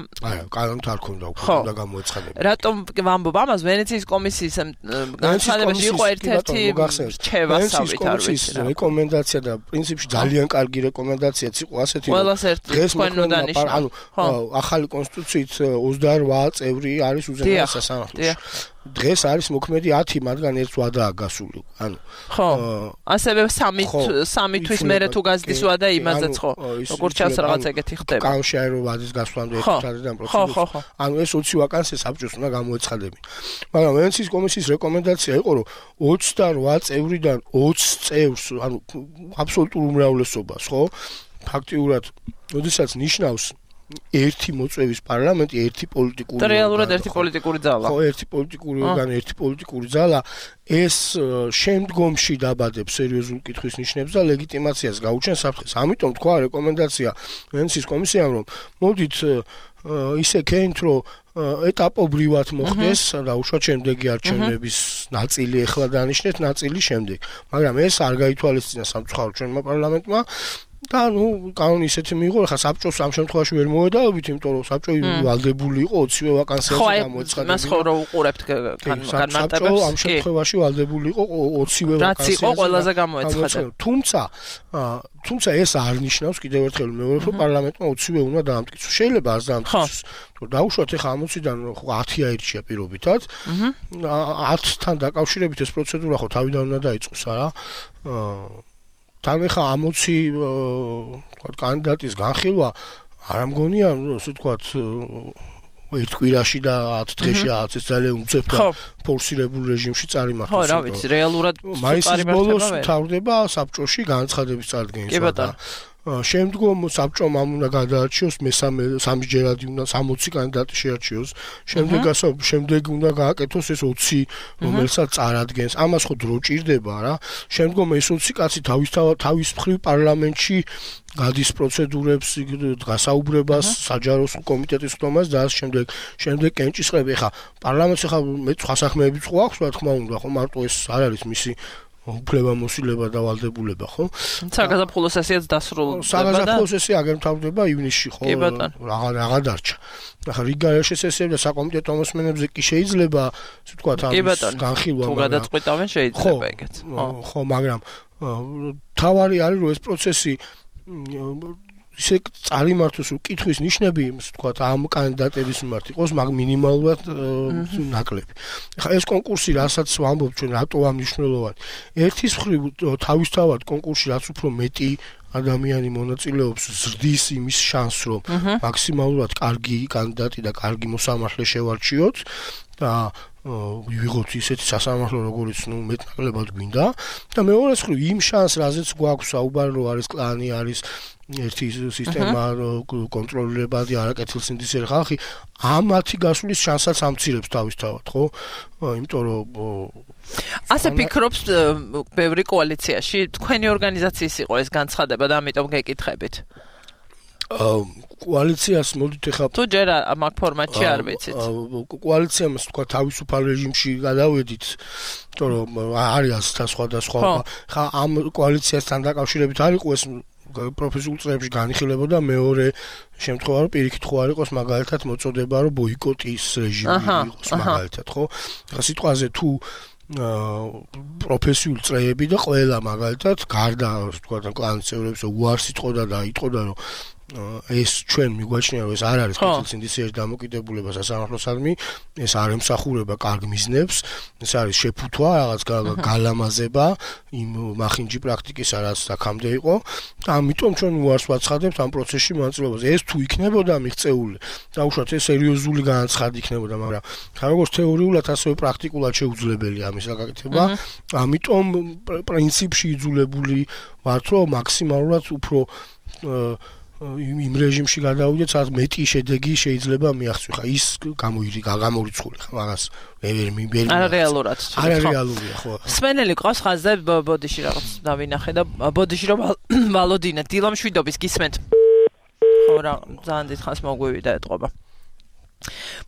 კანონით არ ქონდა უკვე და გამოეცხადებინა. რატომ ვამბობ ამას? ვენეციის კომისიის განცხადებაში იყო ერთ-ერთი რჩევა ვენეციის კომისიის რეკომენდაცია და პრინციპში ძალიან კარგი რეკომენდაციაც იყო ასეთი. ყველას ერთად თქვენ უნდა ნიშნავთ. ახალი კონსტიტუციით 28 წევრი არის უზენაეს სასამართლოში. დღეს არის მოქმედი 10, მათგან ერთს ვადაა გასული. ანუ ხო. ასევე 3 თვის მერე თუ გაზდის ვადა იმაზეც ხო. როგორც ჩანს რაღაც ეგეთი ხდება. კანონში რომ ვადის გასვლამდე ერთად პროცედურა. ანუ ეს 20 ვაკანსია საბჭოს უნდა გამოეცხადებინა. მაგრამ ვენეციის კომისიის რეკომენდაცია იყო რომ 28 წევრიდან 20 წევრს, ანუ აბსოლუტურ უმრავლესობას, ხო? ფაქტიურად, როდესაც ნიშნავს ერთი მოწვევის პარლამენტი, ერთი პოლიტიკური და რეალურად ერთი პოლიტიკური ძალა. ხო, ერთი პოლიტიკური ორგანო, ერთი პოლიტიკური ძალა, ეს შემდგომში დაბადებს სერიოზულ კითხვის ნიშნებს და ლეგიტიმაციას გაუჩენს საფრთხეს. ამიტომ თქვა რეკომენდაცია ვენეციის კომისიამ, რომ მოდით ისე ქენთ, რომ ეტაპობრივად მოხდეს და უშუალოდ შემდეგი არჩევნების ნაწილი ახლა დანიშნეთ, ნაწილი შემდეგ. მაგრამ ეს არ გაითვალისწინა სამწუხაროდ ჩვენმა პარლამენტმა და კანონი ისეთი მიიღო, ხა საბჭოს ამ შემთხვევაში ვერ მოედავებით, იმიტომ რომ საბჭო ვალდებული იყო 20-ვე ვაკანსიაზე გამოეცხადა. მას ხო რო უყურებთ განმარტებებს. საბჭო ამ შემთხვევაში ვალდებული იყო 20-ვე ვაკანსიაზე. რაც იყო ყველაზე გამოეცხადა. თუმცა ეს არ ნიშნავს კიდევ ერთხელ მეორე რომ პარლამენტმა 20-ვე უნდა დაამტკიცოს. შეიძლება არ დაამტკიცოს. დაუშვათ ეხა 60-დან 10 აირჩია პირობითად. 10-თან დაკავშირებით ეს პროცედურა ხო თავიდან უნდა დაიწყოს, არა? თან ეხა 60 თქვათ კანდიდატის განხილვა არ მგონია, ასე თქვათ ერთ კვირაში და 10 დღეში ეს ძალიან უწევთ და ფორსირებულ რეჟიმში წარიმართოს. ხო, რა ვიცი, რეალურად მაისის ბოლოს თავდება საბჭოში განცხადების წარდგენის და შემდგომ საბჭომ ამ უნდა გადაარჩიოს მესამე სამჯერადი უნდა 60 კანდიდატი შეარჩიოს. შემდეგ უნდა გააკეთოს ეს 20 რომელსაც წარადგენს. ამას ხო დრო ჭირდება რა. შემდგომ ეს 20 კაცი თავის მხრივ პარლამენტში გადის პროცედურებს, გასაუბრებას, საჯარო კომიტეტის ხდომას და ამ შემდეგ კენჭისყრები. ხა პარლამენტს ხა მე სხვა საქმეებიც ხო აქვს, რა თქმა უნდა, ხო მარტო ეს არ არის მისი უფლება მოსილება და ვალდებულება, ხო? საგაზაფხულო სესიაც დასრულდება და საგაზაფხულო სესია აგერ მთავრდება ივნისში, ხო? რაღა დარჩა. ახლა რიგაერში სესიები და საკომიტეტო მოსმენებზე კი შეიძლება, ასე ვთქვათ, ამის განხილვა, თუ გადაწყვეტავენ შეიძლება ეგეც. ხო, მაგრამ თავარი არის რომ ეს პროცესი ისე წარიმართოს კითხვის ნიშნები, ასე ვთქვათ, ამ კანდიდატების მიმართ იყოს მინიმალურად ნაკლები. ახლა ეს კონკურსი, რასაც ვამბობ ჩვენ, რატო მნიშვნელოვანი? ერთის მხრივ თავისთავად კონკურსში რაც უფრო მეტი ადამიანი მონაწილეობს, ზრდის იმის შანსს, რომ მაქსიმალურად კარგი კანდიდატი და კარგი მოსამართლე შევარჩიოთ და ვიღოთ ისეთი სასამართლო, როგორც მეტნაკლებად გვინდა და მეორეს მხრივ იმ შანსს, რაზეც გვაქვს საუბარი, რომ არის კლანი, არის ერთი სისტემა კონტროლირებადი არაკეთილსინდისელი ხალხი, ამათი გასulis შანსსაც ამცირებს თავისთავად, ხო? იმიტომ რომ ასე ფიქრობს ბევრი კოალიციაში, თქვენი ორგანიზაციის იყო ეს განცხადება და ამიტომ გეკითხებით. კოალიციას მოდით ეხლა თუ ჯერ მაგ ფორმატში არ ვიცით. კოალიციამ თქვა თავისუფალ რეჟიმში გადავედით, იმიტომ რომ არის სხვადასხვა. ხა ამ კოალიციასთან დაკავშირებით არ იყო ეს პროფესიულ წრეებში განიხილებოდა მეორე შემთხვევა რომ პირიქით ხო არ იყოს მაგალითად მოწოდება რომ ბოიკოტის რეჟიმი იყოს მაგალითად ხო ახლა სიტყვაზე თუ პროფესიულ წრეები და ყველა მაგალითად გარდა თქვა კლანის წევრებს უარს იტყოდა და იტყოდა რომ ეს ჩვენ მიგვაჩნია რომ ეს არ არის კეთილსინდისერის დამოკიდებულება სასამართლოსადმი ეს არ ემსახურება კარგ მიზნებს ეს არის შეფუთვა რაღაც გალამაზება იმ მახინჯი პრაქტიკისა რაც აქამდე იყო და ამიტომ ჩვენ უარს ვაცხადებთ ამ პროცესში მონაწილეობას ეს თუ იქნებოდა მიღწეული დაუშვათ ეს სერიოზული განაცხადი იქნებოდა მაგრამ როგორც თეორიულად ასევე პრაქტიკულად შეუძლებელია ამის გაკეთება ამიტომ პრინციპში იძულებული ვართ რომ მაქსიმალურად უფრო იმ რეჟიმში გადავიდეთ, სადაც მეტი შედეგი შეიძლება მიაღწიო. ხა ის გამორიცხული ხა მაგას ვერ არარეალურად. არარეალურია ხო. სმენელი ყავს ხაზზე ბოდიში რაღაც დავინახე და ბოდიში რომ ვალოდინა დილამშვიდობის გისმენთ. ხო რა ძალიან დიდ ხანს მოგვივიდა ეთყობა.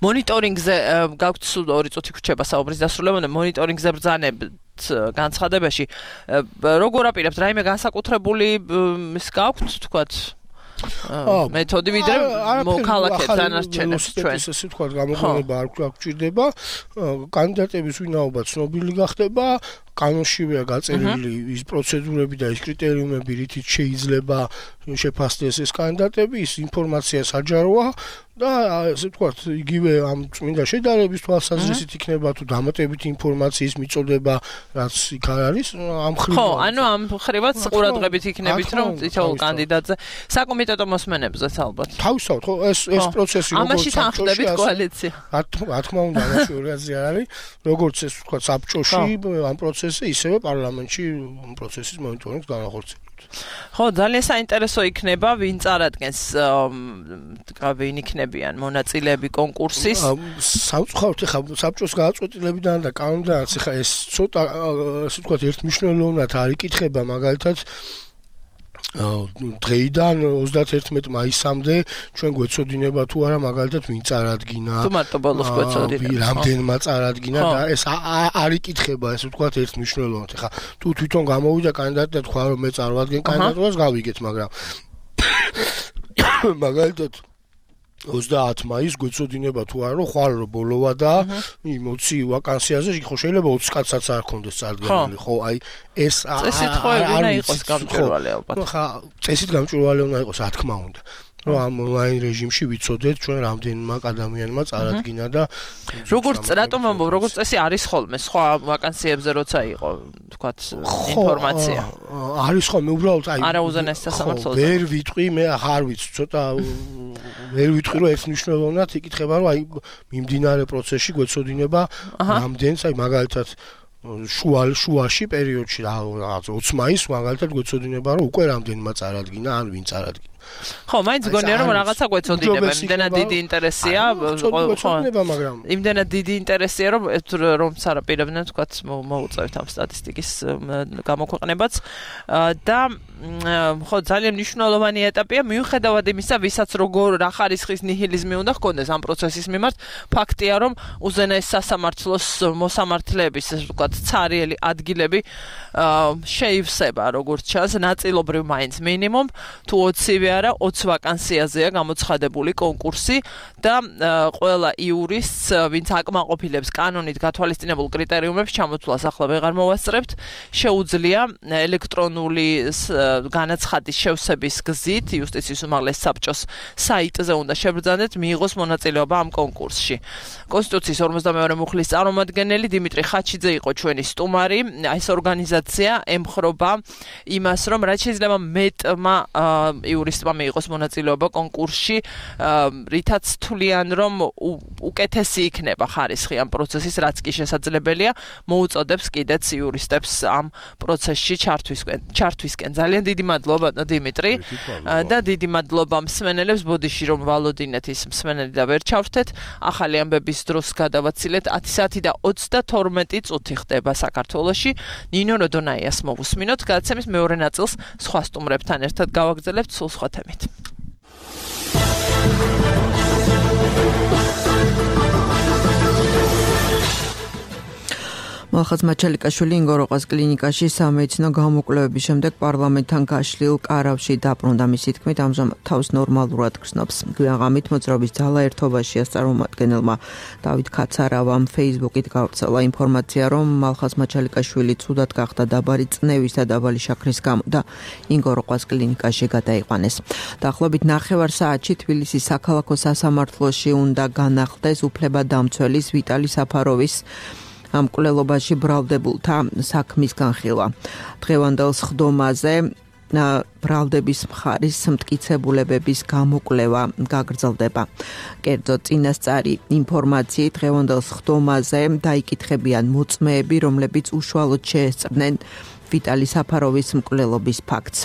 მონიტორინგზე გაქვთ სულ 2 წუთი გრჩება საუბრის დასრულებამდე მონიტორინგზე ბრძანებთ განცხადებაში როგორ აპირებთ რაიმე განსაკუთრებული ის გაქვთ თქვათ მეთოდი ვიდრე მოქალაქეთ დანარჩენებს ჩვენ ესე თქვა გამოგონება არ გვჭირდება კანდიდატების ვინაობა ცნობილი გახდება კანონშივეა გაწერილი ის პროცედურები და ის კრიტერიუმები რითიც შეიძლება შეფასდეს ეს კანდიდატები ის ინფორმაცია საჯაროა და ესე ვთქვათ იგივე ამ წმინდა შედარების თვალსაზრისით იქნება თუ დამატებითი ინფორმაციის მიწოდება რაც იქ არის ამ ხრივ ხო ანუ ამ ხრივაც ყურადღებით იქნებით რომ თითოეულ კანდიდატზე საკომიტეტო მოსმენებზეც ალბათ თავისთავად ხო ეს პროცესი როგორც ამაში თანხმდებით კოალიცია რა თქმა უნდა ამაში ორგანიზაცია არის როგორც ეს ვთქვათ საბჭოში ამ პროცესზე ისევე პარლამენტში ამ პროცესის მონიტორინგს განახორციელებთ ხო ძალიან საინტერესო იქნება ვინ წარადგენს ვინ იქნებიან მონაწილეები კონკურსის სამწუხაროდ ხა საბჭოს გააწყვეტილებიდან და კანონიდან ხა ეს ცოტა ასე ვთქვათ ერთმნიშვნელოვნად არ იკითხება მაგალითად დღეიდან 31 მაისამდე ჩვენ გვეცოდინება თუ არა მაგალითად ვინ წარადგინა თუ მარტო ბოლოს გვეცოდინება რამდენმა წარადგინა და ეს არ იკითხება ესე ვთქვათ ერთ მნიშვნელოვნად ხა თუ თვითონ გამოვიდა კანდიდატი და თქვა რომ მე წარვადგენ კანდიდატურას გავიგეთ მაგრამ მაგალითად 30 მაისს გვეცოდინება თუ არა რომ ხვალ რო ბოლოვა და 20 ვაკანსიაზე ხო შეიძლება 20 კაცსაც არ ქონდეს წარდგენილი ხო აი ეს წესით ხო უნდა იყოს გამჭვირვალე ალბათ ხა წესით გამჭვირვალე უნდა იყოს რა თქმა უნდა რომ ამ ონლაინ რეჟიმში ვიცოდეთ ჩვენ რამდენმა ადამიანმა წარადგინა და როგორც რატომ ამბობ როგორც წესი არის ხოლმე სხვა ვაკანსიებზე როცა იყო თქვათ ინფორმაცია არის ხოლმე უბრალოდ აი არა უზენაეს სასამართლოზე ვერ ვიტყვი მე აღარ ვიცი ცოტა ვერ ვიტყვი რომ ეს მნიშვნელოვნად იკითხება რომ აი მიმდინარე პროცესში გვეცოდინება რამდენს აი მაგალითად შუაში პერიოდში რაღაც 20 მაისს მაგალითად გვეცოდინება რომ უკვე რამდენმა წარადგინა ან ვინ წარადგინა ხო, მაინც გონია რომ რაღაცა გვეცოდინება, იმდენად დიდი ინტერესია, ხო, მაგრამ იმდენად დიდი ინტერესია რომ სარაპირებდნენ თქვათ მოუწევთ ამ სტატისტიკის გამოქვეყნებაც და ხო ძალიან მნიშვნელოვანი ეტაპია მიუხედავად იმისა, ვისაც როგორ რა ხარისხის ნიჰილიზმი უნდა ჰქონდეს ამ პროცესის მიმართ, ფაქტია რომ უზენაეს სასამართლოს მოსამართლეების თქვათ ცარიელი ადგილები შეივსება როგორც ჩანს ნაწილობრივ მაინც მინიმუმ თუ 20-ვე არა 20 ვაკანსიაზეა გამოცხადებული კონკურსი და ყველა იურისტს ვინც აკმაყოფილებს კანონით გათვალისწინებულ კრიტერიუმებს ჩამოთვლას ახლა ვეღარ მოვასწრებთ შეუძლია ელექტრონული განაცხადის შევსების გზით იუსტიციის უმაღლეს საბჭოს საიტზე უნდა შებრძანეთ მიიღოს მონაწილეობა ამ კონკურსში კონსტიტუციის 52 მუხლის წარმომადგენელი დიმიტრი ხაჩიძე იყო ჩვენი სტუმარი ეს ორგანიზაცია ემხრობა იმას რომ რაც შეიძლება მეტმა იურისტმა მიიღოს მონაწილეობა კონკურსში რითაც თვლიან რომ უკეთესი იქნება ხარისხი ამ პროცესის რაც კი შესაძლებელია მოუწოდებს კიდეც იურისტებს ამ პროცესში ჩართვისკენ ძალიან დიდი მადლობა დიმიტრი და დიდი მადლობა მსმენელებს ბოდიში რომ ვალოდინეთ ის მსმენელი და ვერ ჩავრთეთ ახალი ამბების დროს გადავაცილეთ 10 საათი და 32 წუთი ხდება საქართველოში ნინო როდონაიას მოვუსმინოთ გადაცემის მეორე ნაწილს სხვა სტუმრებთან ერთად გავაგრძელებთ სულ სხვა თემით მალხაზ მაჩალიკაშვილი ინგოროყას კლინიკაში სამედიცინო გამოკვლევების შემდეგ პარლამენტთან გაშლილ კარავში დაბრუნდა მისი თქმით ამჟამად თავს ნორმალურად გრძნობს გვიანღამით მოძრაობის ძალა ერთობაშია წარმომადგენელმა დავით ქაცარავამ Facebook-ით გავრცელა ინფორმაცია რომ მალხაზ მაჩალიკაშვილი ცუდად გახდა დაბალი წნევის და დაბალი შაქრის გამო და ინგოროყას კლინიკაში გადაიყვანეს დაახლოებით 9 საათში თბილისის საქალაქო სასამართლოში უნდა განახლდეს უფლებადამცველის ვიტალი საფაროვის ამ კვლელობაში ბრალდებულთა საქმის განხილვა. დღევანდელ სხდომაზე ბრალდების მხარის მტკიცებულებების გამოკვლევა გაგრძელდება. კერძოდ წინასწარი ინფორმაციით დღევანდელ სხდომაზე დაიკითხებიან მოწმეები, რომლებიც უშუალოდ შეესწრნენ ვიტალი საფაროვის მკვლელობის ფაქტს.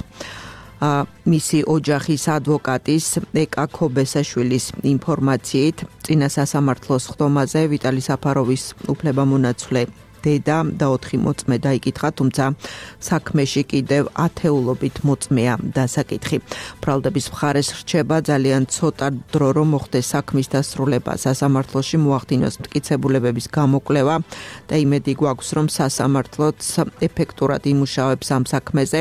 მისი ოჯახის ადვოკატის ეკა ქობესაშვილის ინფორმაციით წინა სასამართლოს სხდომაზე ვიტალი საფაროვის უფლებამონაცვლე დედა და 4 მოწმე დაიკითხა, თუმცა საქმეში კიდევ ათეულობით მოწმეა დასაკითხი. ბრალდების მხარეს რჩება ძალიან ცოტა დრო რომ მოხდეს საქმის დასრულება. სასამართლოში მოახდინოს მტკიცებულებების გამოკვლევა და იმედი გვაქვს რომ სასამართლოც ეფექტურად იმუშავებს ამ საქმეზე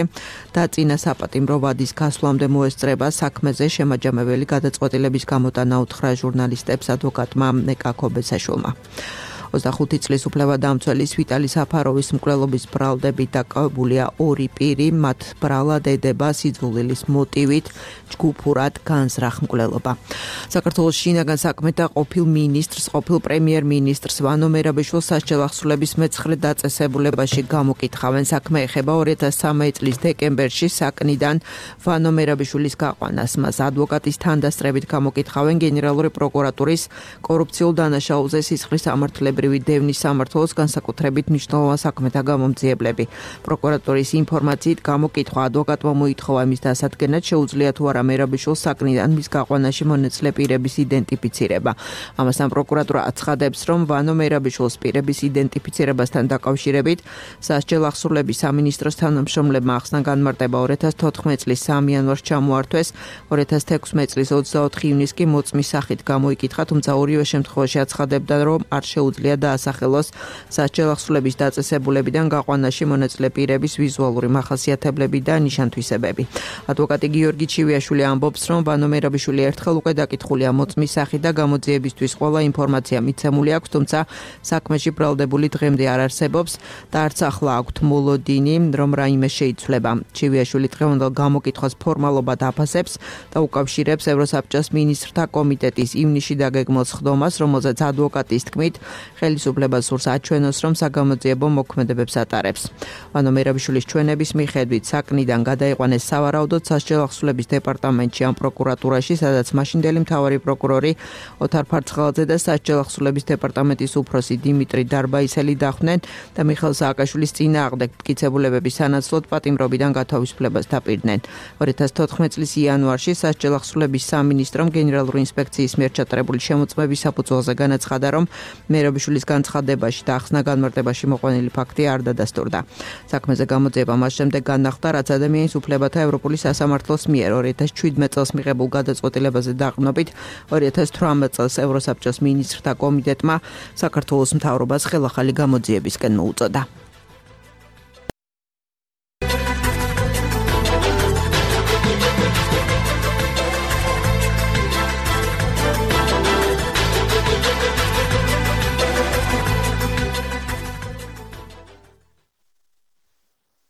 და წინა საპატიმრო ვადის გასვლამდე მოესწრება საქმეზე შემაჯამებელი გადაწყვეტილების გამოტანა უთხრა ჟურნალისტებს ადვოკატმა ეკა ქობესაშვილმა. 25 წლის უფლებადამცველის ვიტალი საფაროვის მკვლელობის ბრალდებით დაკავებულია 2 პირი, მათ ბრალად ედება სიძულვილის მოტივით ჯგუფურად განზრახ მკვლელობა. საქართველოს შინაგან საქმეთა ყოფილ მინისტრს, ყოფილ პრემიერ-მინისტრს ვანო მერაბიშვილს სასჯელ ახსულების მე-9 დაწესებულებაში გამოკითხავენ. საქმე ეხება 2013 წლის დეკემბერში საკნიდან ვანო მერაბიშვილის გაყვანას. მას ადვოკატის თანდასწრებით გამოკითხავენ გენერალური პროკურატურის კორუფციულ დანაშაულზე სისხლის ამართლების ადგილობრივი დევნის სამმართველოს განსაკუთრებით მნიშვნელოვან საქმეთა გამომძიებლები. პროკურატურის ინფორმაციით გამოკითხვა ადვოკატმა მოითხოვა მის დასადგენად შეუძლია თუ არა მერაბიშვილს საკნიდან მის გაყვანაში მონაწილე პირების იდენტიფიცირება. ამასთან პროკურატურა აცხადებს, რომ ვანო მერაბიშვილს პირების იდენტიფიცირებასთან დაკავშირებით სასჯელ აღსრულების სამინისტროს თანამშრომლებმა ახსნა განმარტება 2014 წლის 3 იანვარს ჩამოართვეს, 2016 წლის 24 ივნისს კი მოწმის სახით გამოიკითხა, თუმცა ორივე შემთხვევაში აცხადებდა, რომ არ შეუძლია დაასახელოს სასჯელ აღსრულების დაწესებულებიდან გაყვანაში მონაწილე პირების ვიზუალური მახასიათებლები და ნიშანთვისებები. ადვოკატი გიორგი ჩივიაშვილი ამბობს, რომ ვანო მერაბიშვილი ერთხელ უკვე დაკითხულია მოწმის სახით და გამოძიებისთვის ყველა ინფორმაცია მიცემული აქვს, თუმცა საქმეში ბრალდებული დღემდე არ არსებობს და არც ახლა აქვთ მოლოდინი, რომ რაიმე შეიცვლება. ჩივიაშვილი დღევანდელ გამოკითხვას ფორმალობად აფასებს და უკავშირებს ევროსაბჭოს მინისტრთა კომიტეტის ივნისში დაგეგმილ სხდომას, რომელზეც ადვოკატის თქმით ხელისუფლებას სურს აჩვენოს, რომ საგამოძიებო მოქმედებებს ატარებს. ვანო მერაბიშვილის ჩვენების მიხედვით საკნიდან გადაიყვანეს სავარაუდოდ სასჯელ აღსრულების დეპარტამენტში ან პროკურატურაში, სადაც მაშინდელი მთავარი პროკურორი ოთარ ფარცხალაძე და სასჯელ აღსრულების დეპარტამენტის უფროსი დიმიტრი დარბაისელი დახვდნენ და მიხეილ სააკაშვილის წინააღმდეგ მტკიცებულებების სანაცვლოდ პატიმრობიდან გათავისუფლებას დაპირდნენ. 2014 წლის იანვარში სასჯელ აღსრულების სამინისტრომ გენერალური ინსპექციის მიერ ჩატარებული შემოწმების საფუძველზე განაცხადა, რომ მერაბიშვილის განცხადებაში და ახსნა განმარტებაში მოყვანილი ფაქტი არ დადასტურდა. საქმეზე გამოძიება მას შემდეგ განახლდა, რაც ადამიანის უფლებათა ევროპული სასამართლოს მიერ 2017 წელს მიღებულ გადაწყვეტილებაზე დაყრდნობით 2018 წელს ევროსაბჭოს მინისტრთა კომიტეტმა საქართველოს მთავრობას ხელახალი გამოძიებისკენ მოუწოდა.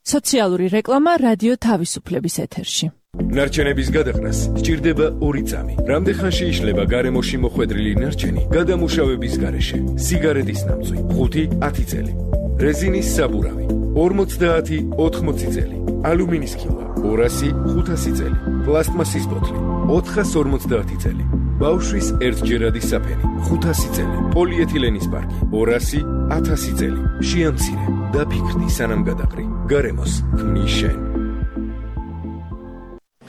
სოციალური რეკლამა რადიო თავისუფლების ეთერში. ნარჩენების გადაყრას სჭირდება 2 წამი. რამდენხანში იშლება გარემოში მოხვედრილი ნარჩენი გადამუშავების გარეშე? სიგარეტის ნამწვი 5-10 წელი, რეზინის საბურავი 50-80 წელი, ალუმინის ქილვა 200-500 წელი, პლასტმასის ბოთლი 450 წელი, ბავშვის ერთჯერადი საფენი 500 წელი, პოლიეთილენის პარკი 200-1000 წელი. შეამცირე და ფიქრდი სანამ გადაყრი. გარემოს ქმნის შენ.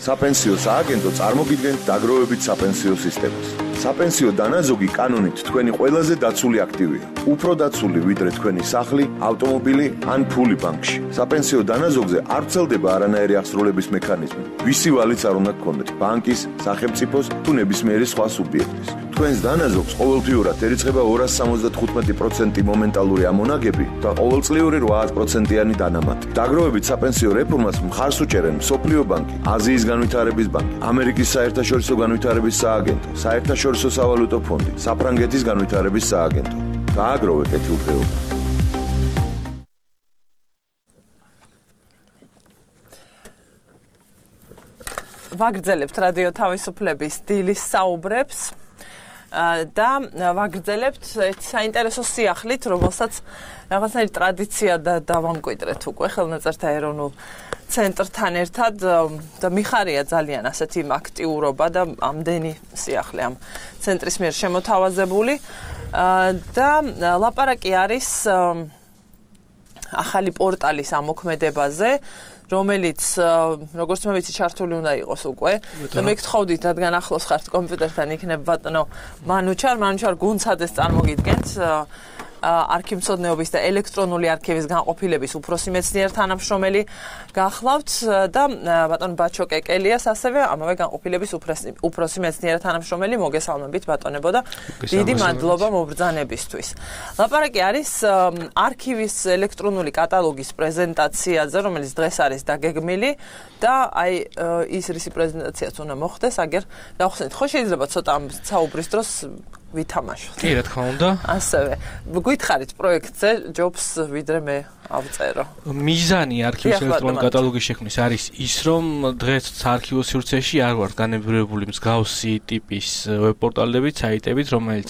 საპენსიო სააგენტო წარმოგიდგენთ დაგროვებით საპენსიო სისტემას. საპენსიო დანაზოგი კანონით თქვენი ყველაზე დაცული აქტივია. უფრო დაცული ვიდრე თქვენი სახლი, ავტომობილი ან ფული ბანკში. საპენსიო დანაზოგზე არ ვრცელდება არანაირი აღსრულების მექანიზმი. ვისი ვალიც არ უნდა გქონდეთ, ბანკის, სახელმწიფოს თუ ნებისმიერი სხვა სუბიექტის. თქვენს დანაზოგს ყოველთვიურად ერიცხება 275% მომენტალური ამონაგები და ყოველწლიური 8%-იანი დანამატი. დაგროვებით საპენსიო რეფორმას მხარს უჭერენ მსოფლიო ბანკი, აზიის განვითარების ბანკი, ამერიკის საერთაშორისო განვითარების სააგენტო, საერთაშორისო სავალუტო ფონდი, საფრანგეთის განვითარების სააგენტო. გააგროვე კეთილდღეობა. ვაგრძელებთ რადიო თავისუფლების დილის საუბრებს და ვაგრძელებთ საინტერესო სიახლით, რომელსაც რაღაცნაირი ტრადიცია და დავამკვიდრეთ უკვე ხელნაწერთა ეროვნულ ცენტრთან ერთად და მიხარია ძალიან ასეთი აქტიურობა და ამდენი სიახლე ამ ცენტრის მიერ შემოთავაზებული და ლაპარაკი არის ახალი პორტალის ამოქმედებაზე, რომელიც როგორც მე ვიცი ჩართული უნდა იყოს უკვე და მე გთხოვდით, რადგან ახლოს ხართ კომპიუტერთან იქნება ბატონო მანუჩარ გუნცადეს წარმოგიდგენთ არქივმცოდნეობის და ელექტრონული არქივის განყოფილების უფროსი მეცნიერ თანამშრომელი გახლავთ და ბატონ ბაჩო კეკელიას ასევე ამავე განყოფილების უფროსი მეცნიერ თანამშრომელი. მოგესალმებით ბატონებო და დიდი მადლობა მობრძანებისთვის. ლაპარაკი არის არქივის ელექტრონული კატალოგის პრეზენტაციაზე, რომელიც დღეს არის დაგეგმილი და აი ის რისი პრეზენტაციაც უნდა მოხდეს, აგერ გავხსენით. ხო შეიძლება ცოტა ამ საუბრის დროს ვითამაშოთ. კი, რა თქმა უნდა. ასევე გითხარით პროექტზე ჯობს ვიდრე მე ავწერო. მიზანი არქივის ელექტრონული კატალოგის შექმნის არის ის, რომ დღეს საარქივო სივრცეში არ ვართ განებრივებული მსგავსი ტიპის ვებპორტალებით, საიტებით, რომელიც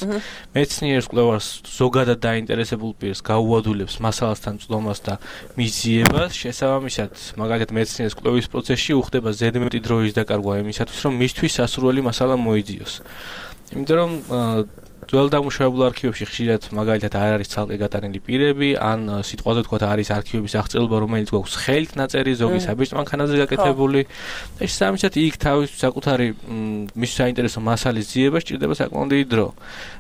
მეცნიერს კვლევას ზოგადად დაინტერესებულ პირს გაუადვილებს მასალასთან წვდომას და მიზიებას. შესაბამისად, მაგალითად მეცნიერის კვლევის პროცესში უხდება ზედმეტი დროის დაკარგვა იმისათვის, რომ მისთვის სასურველი მასალა მოიძიოს. იმიტომ რომ ძველ დამუშავებულ არქივებში ხშირად მაგალითად არ არის ცალკე გატანილი პირები, ან სიტყვაზე თქვათ არის არქივების აღწერილობა, რომელიც გვაქვს ხელით ნაწერი, ზოგი საბჭოთა მანქანაზე გაკეთებული. და შესაბამისად იქ თავის საკუთარი მის საინტერესო მასალის ძიება სჭირდება საკმაოდ დიდი დრო.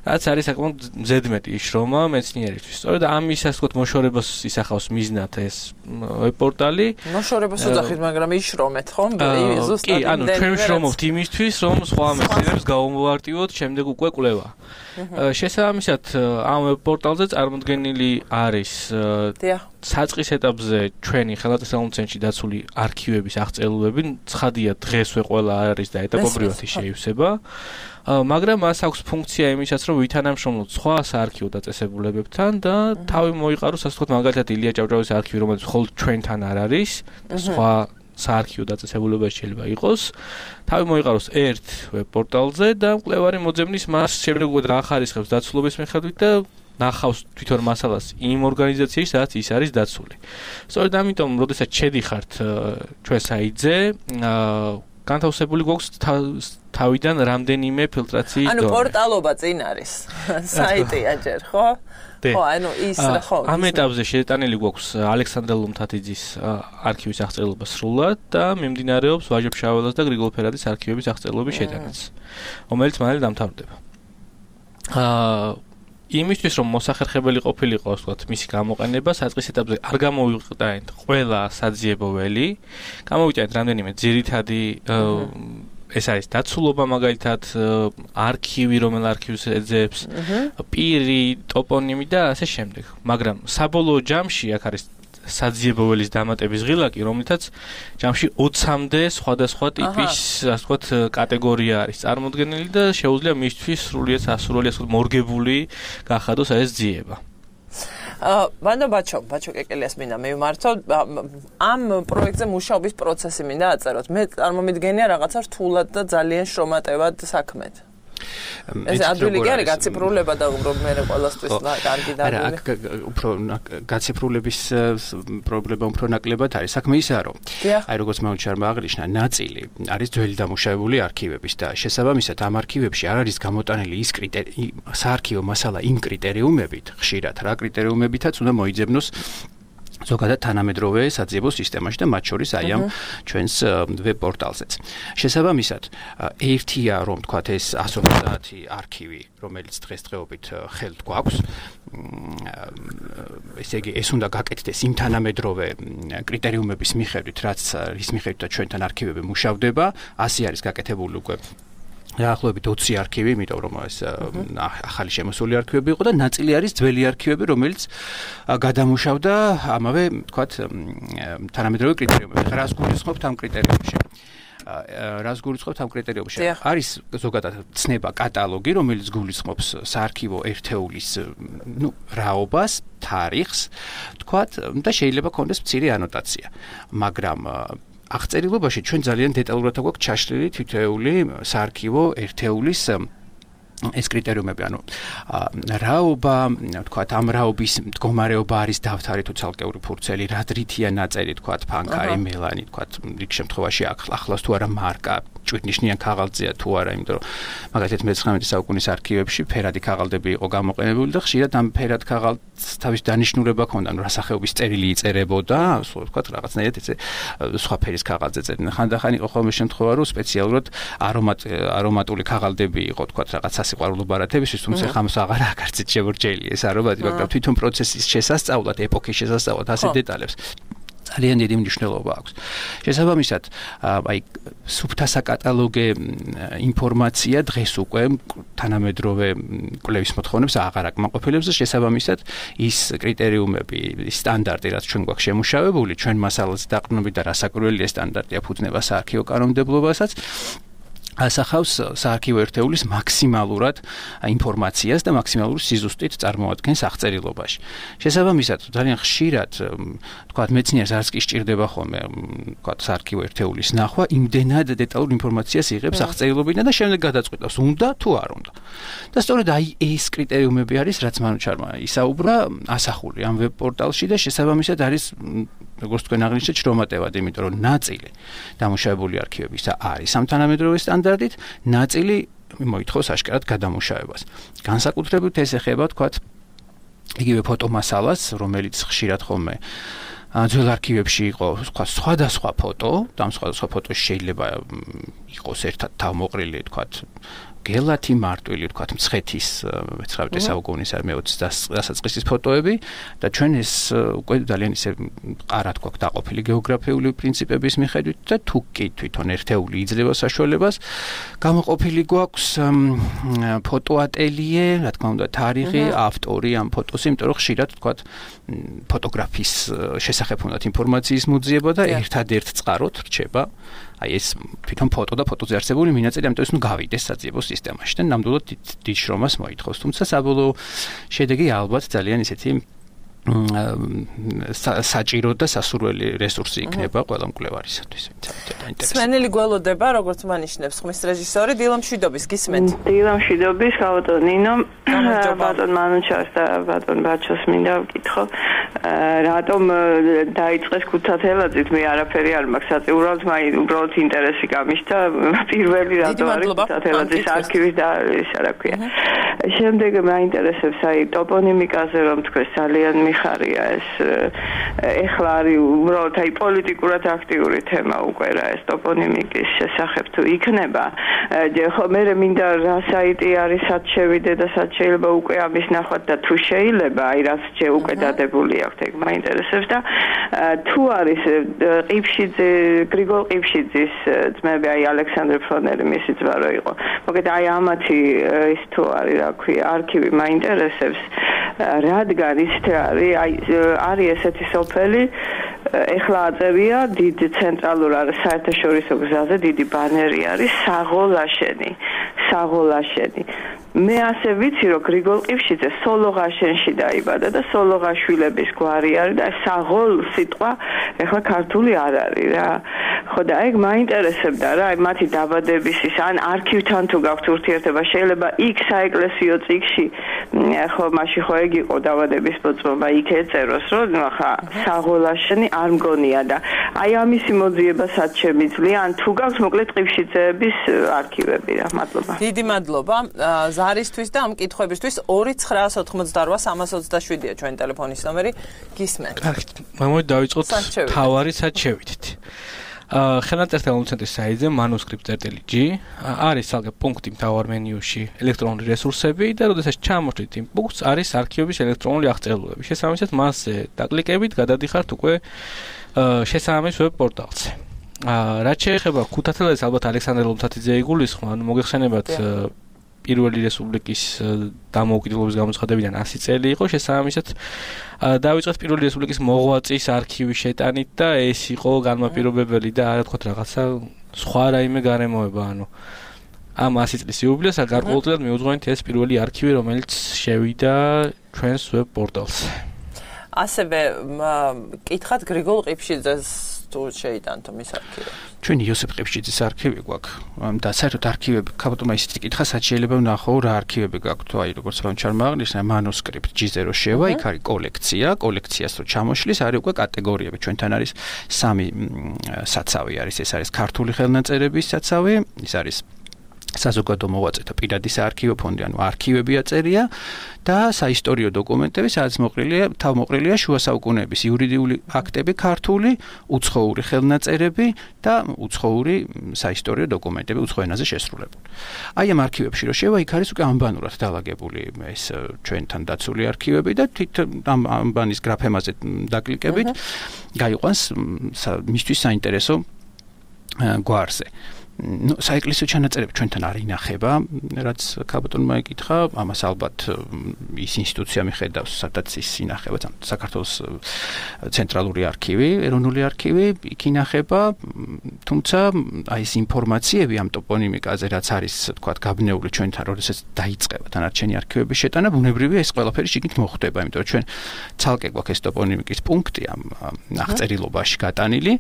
რაც არის საკმაოდ ზედმეტი შრომა მეცნიერისთვის. სწორედ ამისას თქვათ მოშორებას ისახავს მიზნად ეს ვებ-პორტალი. მოშორებას უძახით, მაგრამ იშრომეთ, ხო? კი, ანუ ჩვენ ვშრომობთ იმისთვის, რომ სხვა მეცნიერებს გავუმოვარტივოთ შემდეგ უკვე კვლევა. შესაბამისად, ამ ვებ-პორტალზე წარმოდგენილი არის საწყის ეტაპზე ჩვენი ხელნაწერი ცენტრში დაცული არქივების აღწერილობები, ცხადია დღესვე ყველა არის და ეტაპობრივად შეივსება. მაგრამ მას აქვს ფუნქცია იმისაც, რომ ვითანამშრომლოთ სხვა საარქივო დაწესებულებებთან და თავი მოიყაროს, ასე ვთქვათ, მაგალითად ილია ჭავჭავაძის არქივი, რომელიც მხოლოდ ჩვენთან არ არის, სხვა საარქივო დაწესებულებაში შეიძლება იყოს. თავი მოიყაროს ერთ ვებ-პორტალზე და მკვლევარი მოძებნის მას შემდეგ უკვე რა ხარისხებს დაცულობის მიხედვით და ნახავს თვითონ მასალას იმ ორგანიზაციაში, სადაც ის არის დაცული. სწორედ ამიტომ, როდესაც შედიხართ ჩვენ საიტზე, განთავსებული გვაქვს თავიდან რამდენიმე ფილტრაციის დონე. ანუ პორტალობა წინ არის. საიტია ჯერ, ხო? ხო, ანუ ის რა ხო. ამ ეტაპზე შეტანილი გვაქვს ალექსანდრე ლუმთათიძის არქივის აღწერილობა სრულად და მიმდინარეობს ვაჟა ფშაველას და გრიგოლ ფერადის არქივების აღწერილობის შეტანაც, რომელიც მალე დამთავრდება. იმისთვის რომ მოსახერხებელი ყოფილიყო, ასე ვთქვათ, მისი გამოყენება საწყის ეტაპზე არ გამოვიყენეთ ყველა საძიებო ველი, გამოვიტანეთ რამდენიმე ძირითადი ეს არის დაცულობა მაგალითად, არქივი, რომელ არქივს ეძებს, პირი, ტოპონიმი და ასე შემდეგ. მაგრამ საბოლოო ჯამში აქ არის საძიებო ველის დამატების ღილაკი, რომლითაც ჯამში 20-მდე სხვადასხვა ტიპის, ასე ვთქვათ, კატეგორია არის წარმოდგენილი და შეუძლია მისთვის სრულიად სასურველი, ასე ვთქვათ, მორგებული გახადოს ეს ძიება. მანდ ბაჩო კეკელიას მინდა მივმართო ამ პროექტზე მუშაობის პროცესი მინდა აწეროთ. მე წარმომიდგენია რაღაცა რთულად და ძალიან შრომატევად საქმეთ. ეს ადვილი კი არის გაციფრულება და რომ მე ყველასთვის კარგი და არა, უფრო გაციფრულების პრობლემა უფრო ნაკლებად არის. საქმე ისაა, რომ აი როგორც მეუჩარმა აღნიშნა, ნაწილი არის ძველი დამუშავებული არქივების და შესაბამისად ამ არქივებში არ არის გამოტანილი ის საარქივო მასალა იმ კრიტერიუმებით, ხშირად რა კრიტერიუმებითაც უნდა მოიძებნოს ზოგადად თანამედროვე საძიებო სისტემაში და მათ შორის აი ამ ჩვენს ვებ-პორტალზეც. შესაბამისად, ერთია რომ თქვათ ეს 150 არქივი, რომელიც დღესდღეობით ხელთ გვაქვს, ესე იგი ეს უნდა გაკეთდეს იმ თანამედროვე კრიტერიუმების მიხედვით, რაც რის მიხედვითაც ჩვენთან არქივები მუშავდება, 100 არის გაკეთებული უკვე დაახლოებით 20 არქივი, იმიტომ რომ ეს ახალი შემოსული არქივები იყო და ნაწილი არის ძველი არქივები, რომელიც გადამუშავდა ამავე, თქვათ, თანამედროვე კრიტერიუმებში. რას გულისხმობთ ამ კრიტერიუმებში? არის ზოგადად ცნება კატალოგი, რომელიც გულისხმობს საარქივო ერთეულის, რაობას, თარიღს, თქვათ, და შეიძლება ქონდეს მცირე ანოტაცია. მაგრამ აღწერილობაში ჩვენ ძალიან დეტალურად გვაქვს ჩაშლილი თითოეული საარქივო ერთეულის ეს კრიტერიუმები, ანუ რაობა, თქვათ, ამ რაობის მდგომარეობა არის დავთარი თუ ცალკეული ფურცელი, რა დრითია ნაწერი, თქვათ, ფანქარი, მელანი, თქვათ, რიგ შემთხვევაში ახლავს თუ არა მარკა, ჭვირნიშნიან ქაღალდზეა თუ არა, იმიტომ რომ მაგალითად მე-19 საუკუნის არქივებში ფერადი ქაღალდები იყო გამოყენებული და ხშირად ამ ფერად ქაღალდს თავის დანიშნულება ჰქონდა, რა სახეობის წერილი იწერებოდა, ასე ვთქვათ, რაღაცნაირად ესე სხვა ფერის ქაღალდზე წერდნენ. ხანდახან იყო ხოლმე შემთხვევა, რომ სპეციალურად არომატული ქაღალდები იყო, თქვათ, რაღაც სიყვარულო ბარათებისთვის, თუმცა ხამს აღარ აკარცით შემორჩენილი ეს არომატი, მაგრამ თვითონ პროცესის შესასწავლად, ეპოქის შესასწავლად ასე დეტალებს ძალიან დიდი მნიშვნელობა აქვს. შესაბამისად, აი სუფთა საკატალოგე ინფორმაცია დღეს უკვე თანამედროვე კვლევის მოთხოვნებს აღარ აკმაყოფილებს და შესაბამისად ის კრიტერიუმები, სტანდარტი, რაც ჩვენ გვაქვს შემუშავებული, ჩვენ მასალაზე დაყრდნობით და რასაკვირველია სტანდარტი აფუძნება საარქივო კანონმდებლობასაც, ასახავს საარქივო ერთეულის მაქსიმალურად ინფორმაციას და მაქსიმალურ სიზუსტით წარმოადგენს აღწერილობაში. შესაბამისად, ძალიან ხშირად, თქვათ, მეცნიერს არც კი სჭირდება ხოლმე, თქვათ, საარქივო ერთეულის ნახვა, იმდენად დეტალურ ინფორმაციას იღებს აღწერილობიდან და შემდეგ გადაწყვეტავს, უნდა თუ არ უნდა. და სწორედ აი ეს კრიტერიუმები არის, რაც მანუჩარმა ისაუბრა, ასახული ამ ვებ-პორტალში და შესაბამისად არის, როგორც თქვენ აღნიშნეთ, შრომატევად, იმიტომ რომ ნაწილი დამუშავებული არქივებისა არის ამ თანამედროვე სტანდარტით, ნაწილი მოითხოვს აშკარად გადამუშავებას. განსაკუთრებით ეს ეხება თქვათ იგივე ფოტომასალას, რომელიც ხშირად ხოლმე ძველ არქივებში იყო სხვადასხვა ფოტო, და ამ სხვადასხვა ფოტოში შეიძლება იყოს ერთად თავმოყრილი თქვათ გელათი მარტვილი თქვათ მცხეთის 19 საუკუნის არ მე-20 დასაწყისის ფოტოები და ჩვენ ეს უკვე ძალიან ისე ყარად გვაქვს დაყოფილი გეოგრაფიული პრინციპების მიხედვით და თუ კი თვითონ ერთეული იძლევა საშუალებას გამოყოფილი გვაქვს ფოტოატელიე, რა თქმა უნდა თარიღი, ავტორი ამ ფოტოს, იმიტომ რომ ხშირად თქვათ ფოტოგრაფის შესახებ უნდათ ინფორმაციის მოძიება და ერთადერთ წყაროთ რჩება აი ეს თვითონ ფოტო და ფოტოზე არსებული მინაწილი, ამიტომ ეს გავიდეს საძიებო სისტემაში და ნამდვილად დიდ შრომას მოითხოვს. თუმცა საბოლოო შედეგი ალბათ ძალიან ისეთი საჭირო და სასურველი რესურსი იქნება ყველა მკვლევარისათვის. სმენელი გველოდება, როგორც მანიშნებს ხმის რეჟისორი დილა მშვიდობის, გისმენთ? დილა მშვიდობის, ხავატონ ნინო, ბატონ მანუჩას და ბატონ ბაჩოს მინდა ვკითხო. რატომ დაიწყეს ქუთათელაძით, მე არაფერი არ მაქვს საწიურავთ, უბრალოდ ინტერესი გამიშთა პირველი რატო არის ქუთათელაძის არქივის და ისა რა ქვია. შემდეგ მაინტერესებს აი ტოპონიმიკაზე რომ თქვენ ძალიან მიხარია ეს ეხლა არის უბრალოდ აი პოლიტიკურად აქტიური თემა უკვე რა ეს ტოპონიმიკის შესახებ თუ იქნება ხო მე მინდა რა საიტი არის სად შევიდე და სად შეიძლება უკვე ამის ნახვად და თუ შეიძლება აი რაც უკვე დადებული აქვს ეგ მაინტერესებს და თუ არის ყიფშიძე გრიგოლ ყიფშიძის ძმები აი ალექსანდრე ფლონერი მისი ძმა რო იყო მოგეთ აი ამათი ის თუ არის რა ქვია არქივი მაინტერესებს რადგან ისეთი არის ესეთი სოფელი ეხლა აწერია დიდ ცენტრალურ საერთაშორისო გზაზე დიდი ბანერი არის საღოლაშენი მე ასე ვიცი რომ გრიგოლ ყიფშიძე სოლოღაშენში დაიბადა და სოლოღაშვილების გვარი არის და საღოლ სიტყვა ეხლა ქართული არ არის რა ხო და ეგ მაინტერესებდა რა მათი დაბადების ის ან არქივთან თუ გაქვთ ურთიერთობა შეიძლება იქ საეკლესიო წიგში ხო მაშინ ხო ეგ იყო დაბადების მოწმობა იქ ეწეროს რომ ხა საღოლაშენი არ მგონია და აი ამისი მოძიება სად შემიძლია ან თუ გაქვთ მოკლედ ყიფშიძეების არქივები რა მადლობა დიდი მადლობა ზარისთვის და ამ კითხვებისთვის 2988-327-ია ჩვენი ტელეფონის ნომერი გისმენთ კარგით მამოი დავიწყოთ თავარი სად შევიდით ხელნაწერთა ცენტრის საიტზე manuscript.g არის ალგე პუნქტი მთავარ მენიუში ელექტრონული რესურსები და როდესაც ჩამოშლით იმ პუნქტს არის არქივების ელექტრონული აღწერილობები შესაბამისად მასზე დაკლიკებით გადადიხართ უკვე შესაბამის ვებ პორტალზე რაც შეეხება ქუთათელაძეს ალბათ ალექსანდრე ლომთათიძე იგულისხმა ანუ მოგეხსენებათ პირველი რესპუბლიკის დამოუკიდებლობის გამოცხადებიდან 100 წელი იყო შესაბამისად დავიწყეთ პირველი რესპუბლიკის მოღვაწის არქივის შეტანით და ეს იყო განმაპირობებელი და არა თქვათ რაღაცა სხვა რაიმე გარემოება ანუ ამ 100 წლის იუბილეს გარკვეულწილად მიუძღვენთ ეს პირველი არქივი რომელიც შევიდა ჩვენს ვებ პორტალზე ასევე კითხათ გრიგოლ ყიფშიძეს თუ შეიტანთო მის არქივებს ჩვენი იოსებ ყიფშიძის არქივი გვაქვს და საერთოდ არქივები ქაბატონმა ისეთი კითხა სად შეიძლება ვნახო რა არქივები გაქვთ აი როგორც ვამჩარმა აღნიშნა manuscript G0 შევა იქ არის კოლექციას რო ჩამოშლის არის უკვე კატეგორიები ჩვენთან არის 3 საცავი არის ეს არის ქართული ხელნაწერების საცავი ის არის საზოგადო მოღვაწეთა პირადი საარქივო ფონდი ანუ არქივები აწერია და საისტორიო დოკუმენტები სადაც თავმოყრილია შუა საუკუნეების იურიდიული აქტები ქართული უცხოური ხელნაწერები და უცხოური საისტორიო დოკუმენტები უცხო ენაზე შესრულებული. აი ამ არქივებში რო შევა იქ არის უკვე ამბანურად დალაგებული ეს ჩვენთან დაცული არქივები და ამ ამბანის გრაფემაზე დაკლიკებით გაიყვანს მისთვის საინტერესო გვარზე. საეკლესიო ჩანაწერები ჩვენთან არ ინახება, რაც ქაბატონმა ეკითხა, ამას ალბათ ის ინსტიტუცია მიხედავს, სადაც ის ინახება, საქართველოს ცენტრალური არქივი, ეროვნული არქივი, იქ ინახება, თუმცა აი ეს ინფორმაციები ამ ტოპონიმიკაზე, რაც არის, თქვათ, გაბნეული ჩვენთან, როდესაც დაიწყება დანარჩენი არქივების შეტანა, ბუნებრივია ეს ყველაფერი შიგნით მოხდება, იმიტომ რომ ჩვენ ცალკე გვაქვს ეს ტოპონიმიკის პუნქტი ამ აღწერილობაში გატანილი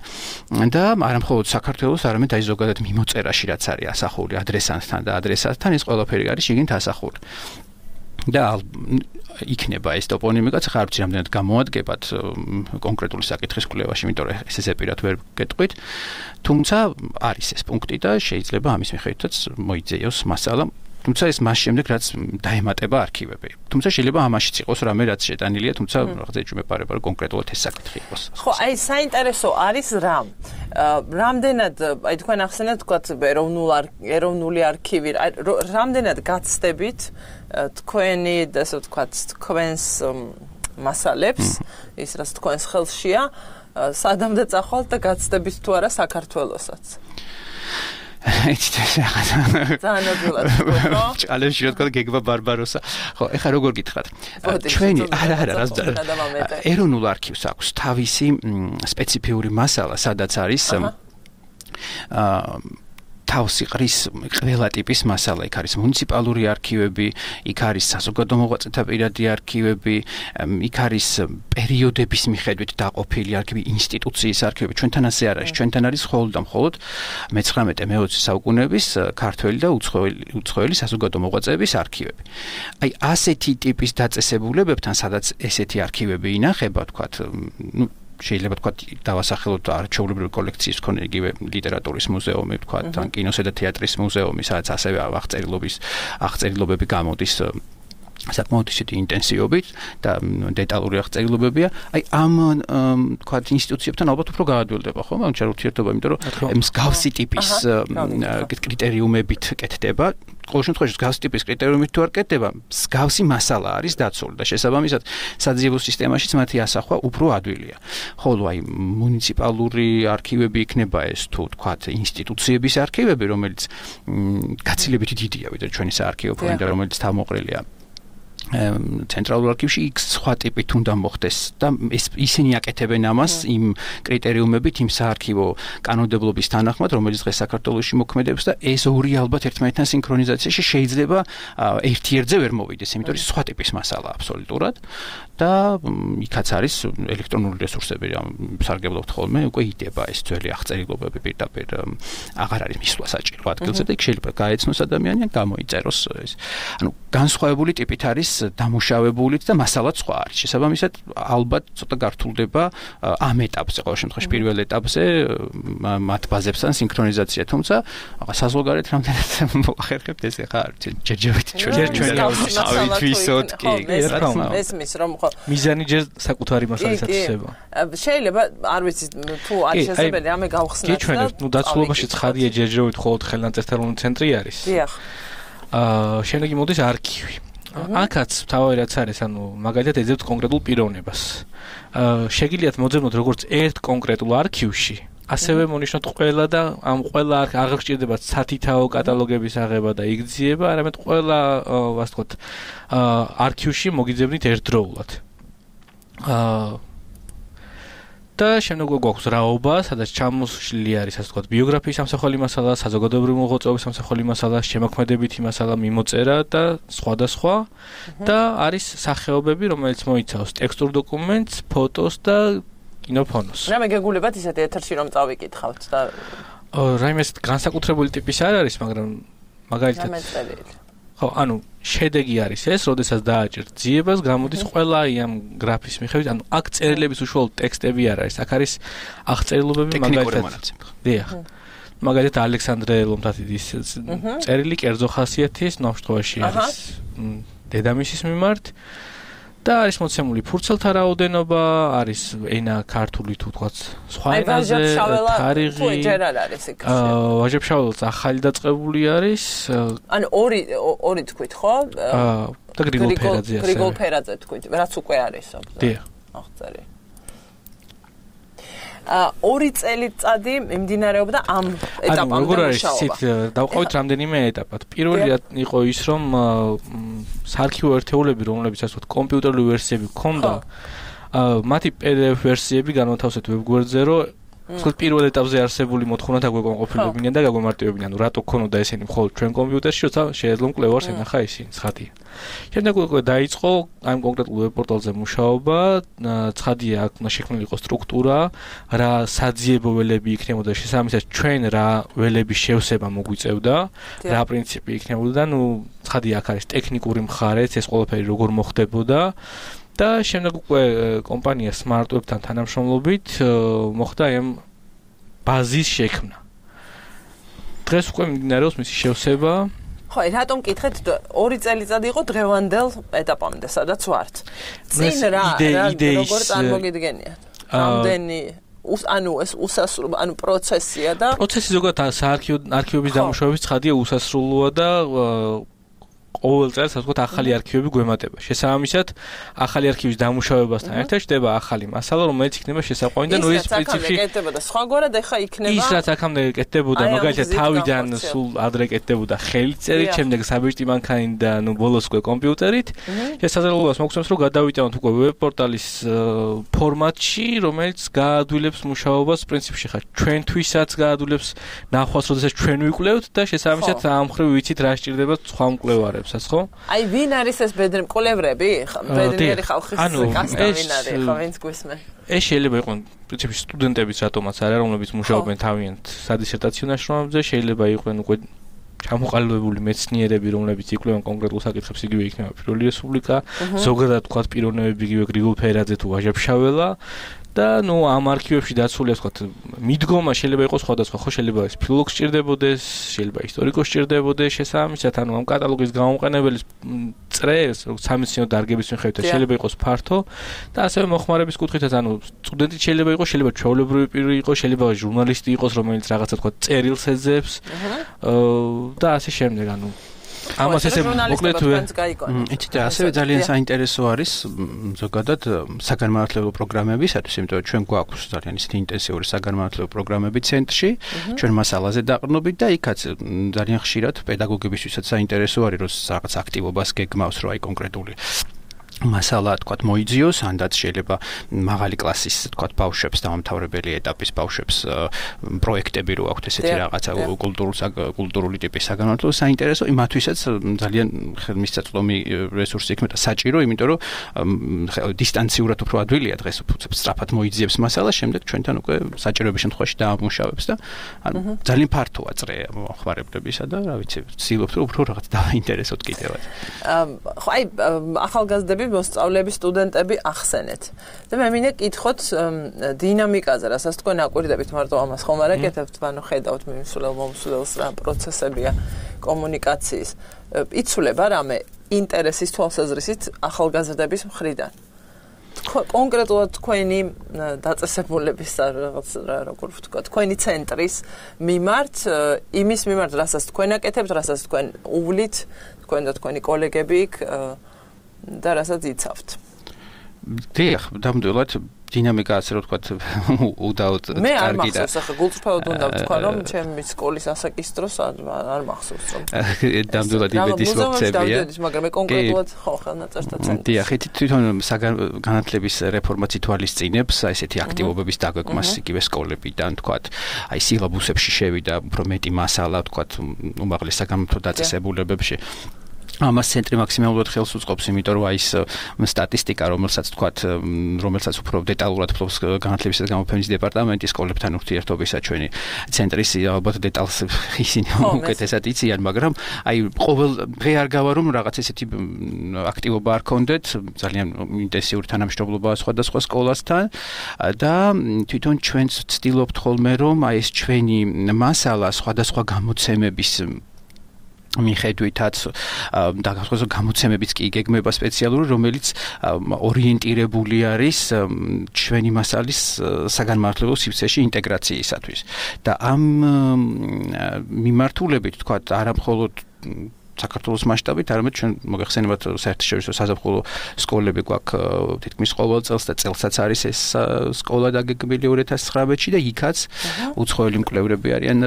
და არამხოლოდ საქართველოს, არამედ აი ზოგადად წერაში რაც არის ასახული ადრესანტთან და ადრესატთან ეს ყველაფერი არის შიგნით ასახული. და იქნება ეს ტოპონიმიკაც ხარ ვიცი რამდენად გამოადგებათ კონკრეტული საკითხის კვლევაში, იმიტომ რომ ეს ზეპირად ვერ გეტყვით. თუმცა არის ეს პუნქტი და შეიძლება ამის მიხედვითაც მოიძიოს მასალა. თუმცა ეს მას შემდეგ რაც დაემატება არქივები. თუმცა შეიძლება ამაშიც იყოს რამე რაც შეტანილია, თუმცა რაღაცა ეჭვმეპარება რომ კონკრეტულად ეს საკითხი იყოს. ხო, აი საინტერესო არის რა. რამდენად, აი თქვენ ახსენეთ თქვათ ეროვნული არქივი, რამდენად გაცდებით თქვენი, ასე ვთქვათ, თქვენს მასალებს, ის რაც თქვენს ხელშია, სადამდე წახვალთ და გაცდებით თუ არა საქართველოსაც. ძალიან ადვილად ვთქვა. ჭალებში რა თქვა გეგმა ბარბაროსა. ხო, ეხლა როგორ გითხრათ? ჩვენი არა ეროვნულ არქივს აქვს თავისი სპეციფიური მასალა, სადაც არის თავს იყრის ყველა ტიპის მასალა. იქ არის მუნიციპალური არქივები, იქ არის საზოგადო მოღვაწეთა პირადი არქივები, იქ არის პერიოდების მიხედვით დაყოფილი არქივი, ინსტიტუციის არქივები. ჩვენთან ასე არ არის. ჩვენთან არის მხოლოდ და მხოლოდ მე-19-20 საუკუნეების ქართველი და უცხოელი საზოგადო მოღვაწეების არქივები. აი ასეთი ტიპის დაწესებულებებთან, სადაც ესეთი არქივები ინახება, თქვათ, შეიძლება თქვა დავასახელოთ არქეოლოგიური კოლექციის მქონე იგივე ლიტერატურის მუზეუმი, თქვა თან კინოსა და თეატრის მუზეუმი, სადაც ასევე აღწერილობები გამოდის საკმაოდ ისეთი ინტენსივობით და დეტალური აღწერილობებია. აი ამ თქვა ინსტიტუციებთან ალბათ უფრო გაადვილდება, ხო? მაგრამ შეიძლება ურთიერთობა, იმიტომ რომ მსგავსი ტიპის კრიტერიუმებით კეთდება. ყოველ შემთხვევაში მსგავსი ტიპის კრიტერიუმით თუ არ კეთდება, მსგავსი მასალა არის დაცული და შესაბამისად საძიებო სისტემაშიც მათი ასახვა უფრო ადვილია. ხოლო აი მუნიციპალური არქივები იქნება ეს თუ თქვათ ინსტიტუციების არქივები, რომელიც გაცილებით დიდია ვიდრე ჩვენი საარქივო ფონდი, რომელიც თავმოყრილია ცენტრალურ არქივში იქ სხვა ტიპით უნდა მოხდეს და ისინი აკეთებენ ამას იმ კრიტერიუმებით, იმ საარქივო კანონმდებლობის თანახმად, რომელიც დღეს საქართველოში მოქმედებს და ეს ორი ალბათ ერთმანეთთან სინქრონიზაციაში შეიძლება ერთ-ერთზე ვერ მოვიდეს, იმიტომ რომ სხვა ტიპის მასალა აბსოლუტურად და იქაც არის ელექტრონული რესურსები, სარგებლობთ ხოლმე, უკვე იდება ეს ძველი აღწერილობები პირდაპირ აღარ არის მისვლა საჭირო ადგილზე და იქ შეიძლება გაეცნოს ადამიანი ან გამოიწეროს ეს. ანუ განსხვავებული ტიპით არის დამუშავებულიც და მასალაც სხვა არის. შესაბამისად, ალბათ ცოტა გართულდება ამ ეტაპზე, ყოველ შემთხვევაში პირველ ეტაპზე მათ ბაზებთან სინქრონიზაცია, თუმცა საზღვარგარეთ რამდენად მოახერხებთ ეს ახლა ჯერჯერობით ჩვენ ავით ვისოთ კი ესმის რომ ხო მიზანი ჯერ საკუთარი მასალის აწესება. შეიძლება არ ვიცი თუ არის შესაძლებელი ამე გავხსნათ და ჩვენ დაცულობაში ცხადია ჯერჯერობით ხოლმე ხელნაწერთელოვანი ცენტრი არის. დიახ. შემდეგი მოდის არქივი. აქაც თავი რაც არის, ანუ მაგალითად ეძებთ კონკრეტულ პიროვნებას. შეგიძლიათ მოძებნოთ როგორც ერთ კონკრეტულ არქივში, ასევე მონიშნოთ ყველა და ამ ყველა აღარ გჭირდება სათითაო კატალოგების აღება და იგრძიება, არამედ ყველა, ასე ვთქვათ, არქივში მოგიძებნით ერთდროულად. და შემდეგ გვაქვს რაობა, სადაც ჩამოსვლილი არის, ასე ვთქვათ, ბიოგრაფიის სამსახველი მასალა, საზოგადოებრივი მოღვაწეობის სამსახველი მასალა, შემოქმედებითი მასალა, მიმოწერა და სხვა და არის სახეობები, რომელიც მოიცავს ტექსტურ დოკუმენტს, ფოტოს და კინოფონოს. რა მეგეგულებათ ისეთი ეთერში რომ წავიკითხავთ და რაიმე განსაკუთრებული ტიპის არ არის, მაგრამ მაგალითად ხო, ანუ შედეგი არის ეს, როდესაც დააჭერთ ძიებას, გამოდის ყველა ამ გრაფის მიხედვით, ანუ აქ წერილების უშუალოდ ტექსტები არ არის, აქ არის აღწერილობები მაგალითად. დიახ. მაგალითად ალექსანდრე ლომთათიძის წერილი კერძო ხასიათის ნამშრომლობაში არის დედამისის მიმართ და არის მოცემული ფურცელთა რაოდენობა, არის ენა ქართული თუ თქვაც სხვა ენაზე, თარიღი. ვაჟებ-შაველაც ახალი დაწყებული არის. ანუ ორი თქვით, ხო? და გრიგოლ ფერაძე ასე. გრიგოლ ფერაძე თქვით, რაც უკვე არის. დიახ. აღწერილი. ორი წელიწადი მიმდინარეობდა ამ ეტაპამდე. ანუ როგორ არის ისეთ დავყავით რამდენიმე ეტაპად. პირველი იყო ის, რომ საარქივო ერთეულები, რომლებიც ასე ვთქვათ, კომპიუტერული ვერსიები ჰქონდა, მათი PDF ვერსიები განათავსეთ ვებგვერდზე, რომ თქვა პირველ ეტაპზე არსებული მოთხოვნა დაგვეკონყოფილებინიან და გაგვემარტივებინიან, რატო ქონოდა ესენი მხოლოდ ჩვენ კომპიუტერში, როცა შეეძლო მკვლევარს ენახა ისინი, ცხადია. შემდეგ უკვე დაიწყო ამ კონკრეტულ ვებ პორტალზე მუშაობა, ცხადია აქ უნდა შექმნილიყო სტრუქტურა, რა საძიებო ველები იქნებოდა, შესაბამისად ჩვენ რა ველების შევსება მოგვიწევდა, რა პრინციპი იქნებოდა და ცხადია აქ არის ტექნიკური მხარეც, ეს ყველაფერი როგორ მოხდებოდა. და შემდეგ უკვე კომპანია SmartWeb-თან თანამშრომლობით მოხდა ამ ბაზის შექმნა. დღეს უკვე მიმდინარეობს მისი შევსება. ხო, რატომ კითხეთ 2 წელიწადი იყო დღევანდელ ეტაპამდე, სადაც ვართ. წინ რა როგორ წარმოგიდგენიათ? რამდენი ეს უსასრულო, პროცესია და პროცესი ზოგადად არქივების დამუშავების ცხადია უსასრულოა და ყოველ წელს ასე ვთქვათ ახალი არქივები გვემატება. შესაბამისად, ახალი არქივის დამუშავებასთან ერთად ხდება ახალი მასალა, რომელიც იქნება შესაყვანი და ეს პრინციპში კეთდებოდა სხვაგვარად, ეხა იქნება ის რაც აქამდე კეთდებოდა, მაგალითად თავიდან სულ ადრე კეთდებოდა ხელწერით, შემდეგ საბეჭდი მანქანით და ბოლოს უკვე კომპიუტერით. შესაძლებლობას მოგცემს, რომ გადავიტანოთ უკვე ვებ პორტალის ფორმატში, რომელიც გაადვილებს მუშაობას პრინციპში ხარ ჩვენთვისაც გაადვილებს ნახვას, როდესაც ჩვენ ვიკვლევთ და შესაბამისად ამ მხრივ ვიცით რა სჭირდება სხვა მკვლევარებს. აი ვინ არის ეს ბედნიერი მკვლევრები? ბედნიერი ხალხის კასტა ვინ არის? ხო, ვინც გვისმენ? ეს შეიძლება იყოს პრინციპში სტუდენტებიც რატომაც არა, რომლებიც მუშაობენ თავიანთ სადისერტაციო ნაშრომებზე, შეიძლება იყვნენ უკვე ჩამოყალიბებული მეცნიერები, რომლებიც იკვლევენ კონკრეტულ საკითხებს, იგივე იქნება პირველი რესპუბლიკა, ზოგადად თქვათ პიროვნებები, იგივე გრიგოლ ფერაძე თუ ვაჟა ფშაველა. და ამ არქივებში დაცულია თქვათ მიდგომა შეიძლება იყოს სხვადასხვა, ხო შეიძლება ეს ფილოლოგი სჭირდებოდეს, შეიძლება ისტორიკოსი სჭირდებოდეს, შესაბამისად ამ კატალოგის გამოყენებელის წრეს, სამეცნიერო დარგების მიხედვით შეიძლება იყოს ფართო და ასევე მოხმარების კუთხითაც, სტუდენტი შეიძლება იყოს, შეიძლება ჩვეულებრივი პირი იყოს, შეიძლება ჟურნალისტი იყოს, რომელიც რაღაცა თქვათ წერილს ეძებს და ასე შემდეგ, ამას ესე მოკლედ იცით ასევე ძალიან საინტერესო არის ზოგადად საგანმანათლებლო პროგრამებისათვის, იმიტომ რომ ჩვენ გვაქვს ძალიან ისეთი ინტენსიური საგანმანათლებლო პროგრამები ცენტრში, ჩვენ მასალაზე დაყრდნობით და იქაც ძალიან ხშირად პედაგოგებისთვისაც საინტერესო არის, რომ რაღაც აქტივობას გეგმავს, რომ აი კონკრეტული მასალა თქვათ მოიძიოს, ანდაც შეიძლება მაღალი კლასის თქვათ ბავშვებს, დამამთავრებელი ეტაპის ბავშვებს პროექტები რო აქვთ ესეთი რაღაცა კულტურული ტიპის საგანმანათლებლო საინტერესო, იმათვისაც ძალიან ხელმისაწვდომი რესურსი იქნება და საჭირო, იმიტომ რომ დისტანციურად უფრო ადვილია დღეს სწრაფად მოიძიებს მასალა, შემდეგ ჩვენთან უკვე საჭიროების შემთხვევაში დაამუშავებს და ძალიან ფართოა წრე მოხმარებლებისა და რა ვიცი, ვცდილობთ რომ უფრო რაღაც დაინტერესოთ კიდევაც. ხო, აი ახალგაზრდები მოსწავლეები, სტუდენტები ახსენეთ. და მე მინდა კითხოთ დინამიკაზე, რასაც თქვენ აკვირდებით მარტო ამას ხომ არ აკეთებთ, ანუ ხედავთ მომსვლელს რა პროცესებია კომუნიკაციის. იცვლება რამე ინტერესის თვალსაზრისით ახალგაზრდების მხრიდან. კონკრეტულად თქვენი დაწესებულების რაღაც როგორ ვთქვა, თქვენი ცენტრის მიმართ, იმის მიმართ, რასაც თქვენ აკეთებთ, რასაც თქვენ უვლით, თქვენ და თქვენი კოლეგები იქ და რასაც იცავთ. დიახ, ნამდვილად დინამიკა ასე რომ ვთქვათ უდაოდ კარგი და მე არ მახსოვს ახლა გულწრფელად უნდა ვთქვა რომ ჩემი სკოლის ასაკის დროს არ მახსოვს რომ ნამდვილად იმედის მოქცევია მაგრამ მე კონკრეტულად ხო ხელნაწერთა ცენტრი დიახ თვითონ განათლების რეფორმაც ითვალისწინებს აი ესეთი აქტივობების დაგვეკმას იგივე სკოლებიდან ვთქვათ აი სილაბუსებში შევიდა უფრო მეტი მასალა ვთქვათ უმაღლეს საგანმანათლებლო დაწესებულებებში ამას ცენტრი მაქსიმალურად ხელს უწყობს, იმიტომ რომ აი ეს სტატისტიკა, რომელსაც უფრო დეტალურად ფლობს განათლებისა და გამოფენის დეპარტამენტი სკოლებთან ურთიერთობისა ჩვენი ცენტრის ალბათ დეტალს ისინი უკეთესად იციან, მაგრამ აი ყოველ დღე არ გავა რომ რაღაც ესეთი აქტივობა არ ქონდეთ, ძალიან ინტენსიური თანამშრომლობაა სხვადასხვა სკოლასთან და თვითონ ჩვენც ვცდილობთ ხოლმე რომ აი ეს ჩვენი მასალა სხვადასხვა გამოცემების მიხედვითაც და გამოცემებიც კი იგეგმება სპეციალური, რომელიც ორიენტირებული არის ჩვენი მასალის საგანმანათლებლო სივრცეში ინტეგრაციისათვის. და ამ მიმართულებით, თქვათ, არა მხოლოდ საქართველოს მასშტაბით, არამედ ჩვენ მოგეხსენებათ საერთაშორისო საზაფხულო სკოლები გვაქვს თითქმის ყოველ წელს და წელსაც არის ეს სკოლა დაგეგმილი 2019-ში და იქაც უცხოელი მკვლევრები არიან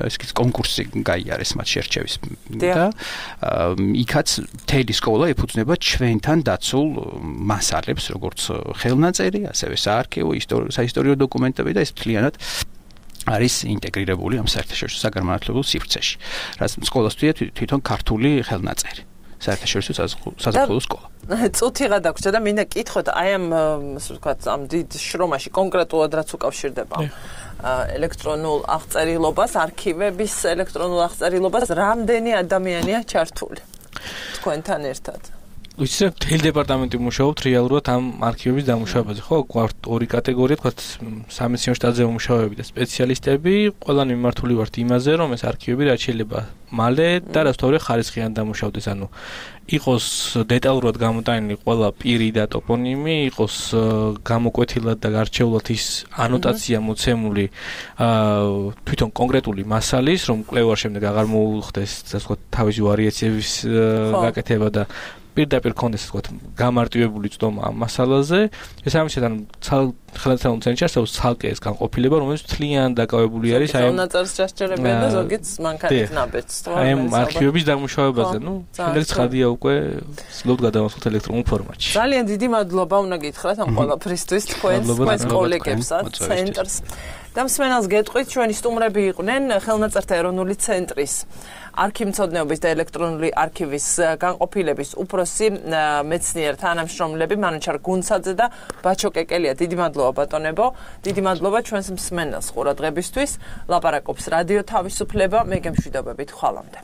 ეს კონკურსი გაიარეს მათ შერჩევის და იქაც მთელი სკოლა ეფუძნება ჩვენთან დაცულ მასალებს, როგორც ხელნაწერი, ასევე საარქივო, საისტორიო დოკუმენტები და ეს მთლიანად არის ინტეგრირებული ამ საერთაშორისო საგანმანათლებლო სივრცეში. რაც სკოლას თვითონ ქართული ხელნაწერი. საერთაშორისო საზაფხულო სკოლა. წუთი გადაგვრჩა და მინდა კითხოთ აი ამ ასე ვთქვათ ამ დიდ შრომაში კონკრეტულად რაც უკავშირდება ელექტრონულ აღწერილობას, არქივების ელექტრონულ აღწერილობას, რამდენი ადამიანია ჩართული თქვენთან ერთად? ვიცი, მთელი დეპარტამენტი მუშაობთ რეალურად ამ არქივების დამუშავებაზე, ხო? გვაქვს ორი კატეგორია, თქვათ სამეცნიერო შტატზე მუშაობები და სპეციალისტები, ყველანი მიმართული ვართ იმაზე, რომ ეს არქივები რაც შეიძლება მალე და რასთავრე ხარისხიან დამუშავდეს, ანუ იყოს დეტალურად გამოტანილი ყველა პირი და ტოპონიმი, იყოს გამოკვეთილად და გარჩეულად ის ანოტაცია მოცემული თვითონ კონკრეტული მასალის, რომ კვლევარ შემდეგ აღარ მოუხდეს, ასე ვთქვათ, თავისი ვარიაციების გაკეთება და პირდაპირ კონდეს ასე ვთქვათ გამარტივებული წდომა ამ მასალაზე. ეს ამისად ანუ ხელნაწერი ცენტრში არსებობს ცალკე ეს განყოფილება, რომელიც მთლიან დაკავებული არის აი ამ ნაწერს ჩასჭერებენ და ზოგიც მანქანით ნაბეჭს. აი ამ არქივების დამუშავებაზე, შემდეგ ცხადია უკვე სლოდ გადავასხოთ ელექტრონულ ფორმატში. ძალიან დიდი მადლობა უნდა გითხრათ ამ ყველაფრისთვის თქვენს კოლეგებსაც, ცენტრს. და მსმენელს გეტყვით, ჩვენი სტუმრები იყვნენ ხელნაწერთა ეროვნული ცენტრის არქივმცოდნეობის და ელექტრონული არქივის განყოფილების უფროსი მეცნიერ თანამშრომლები მანუჩარ გუნცაძე და ბაჩო კეკელია. დიდი მადლობა ბატონებო, დიდი მადლობა ჩვენს მსმენელს ყურადღებისთვის. ლაპარაკობს რადიო თავისუფლება, მე გემშვიდობებით, ხვალამდე.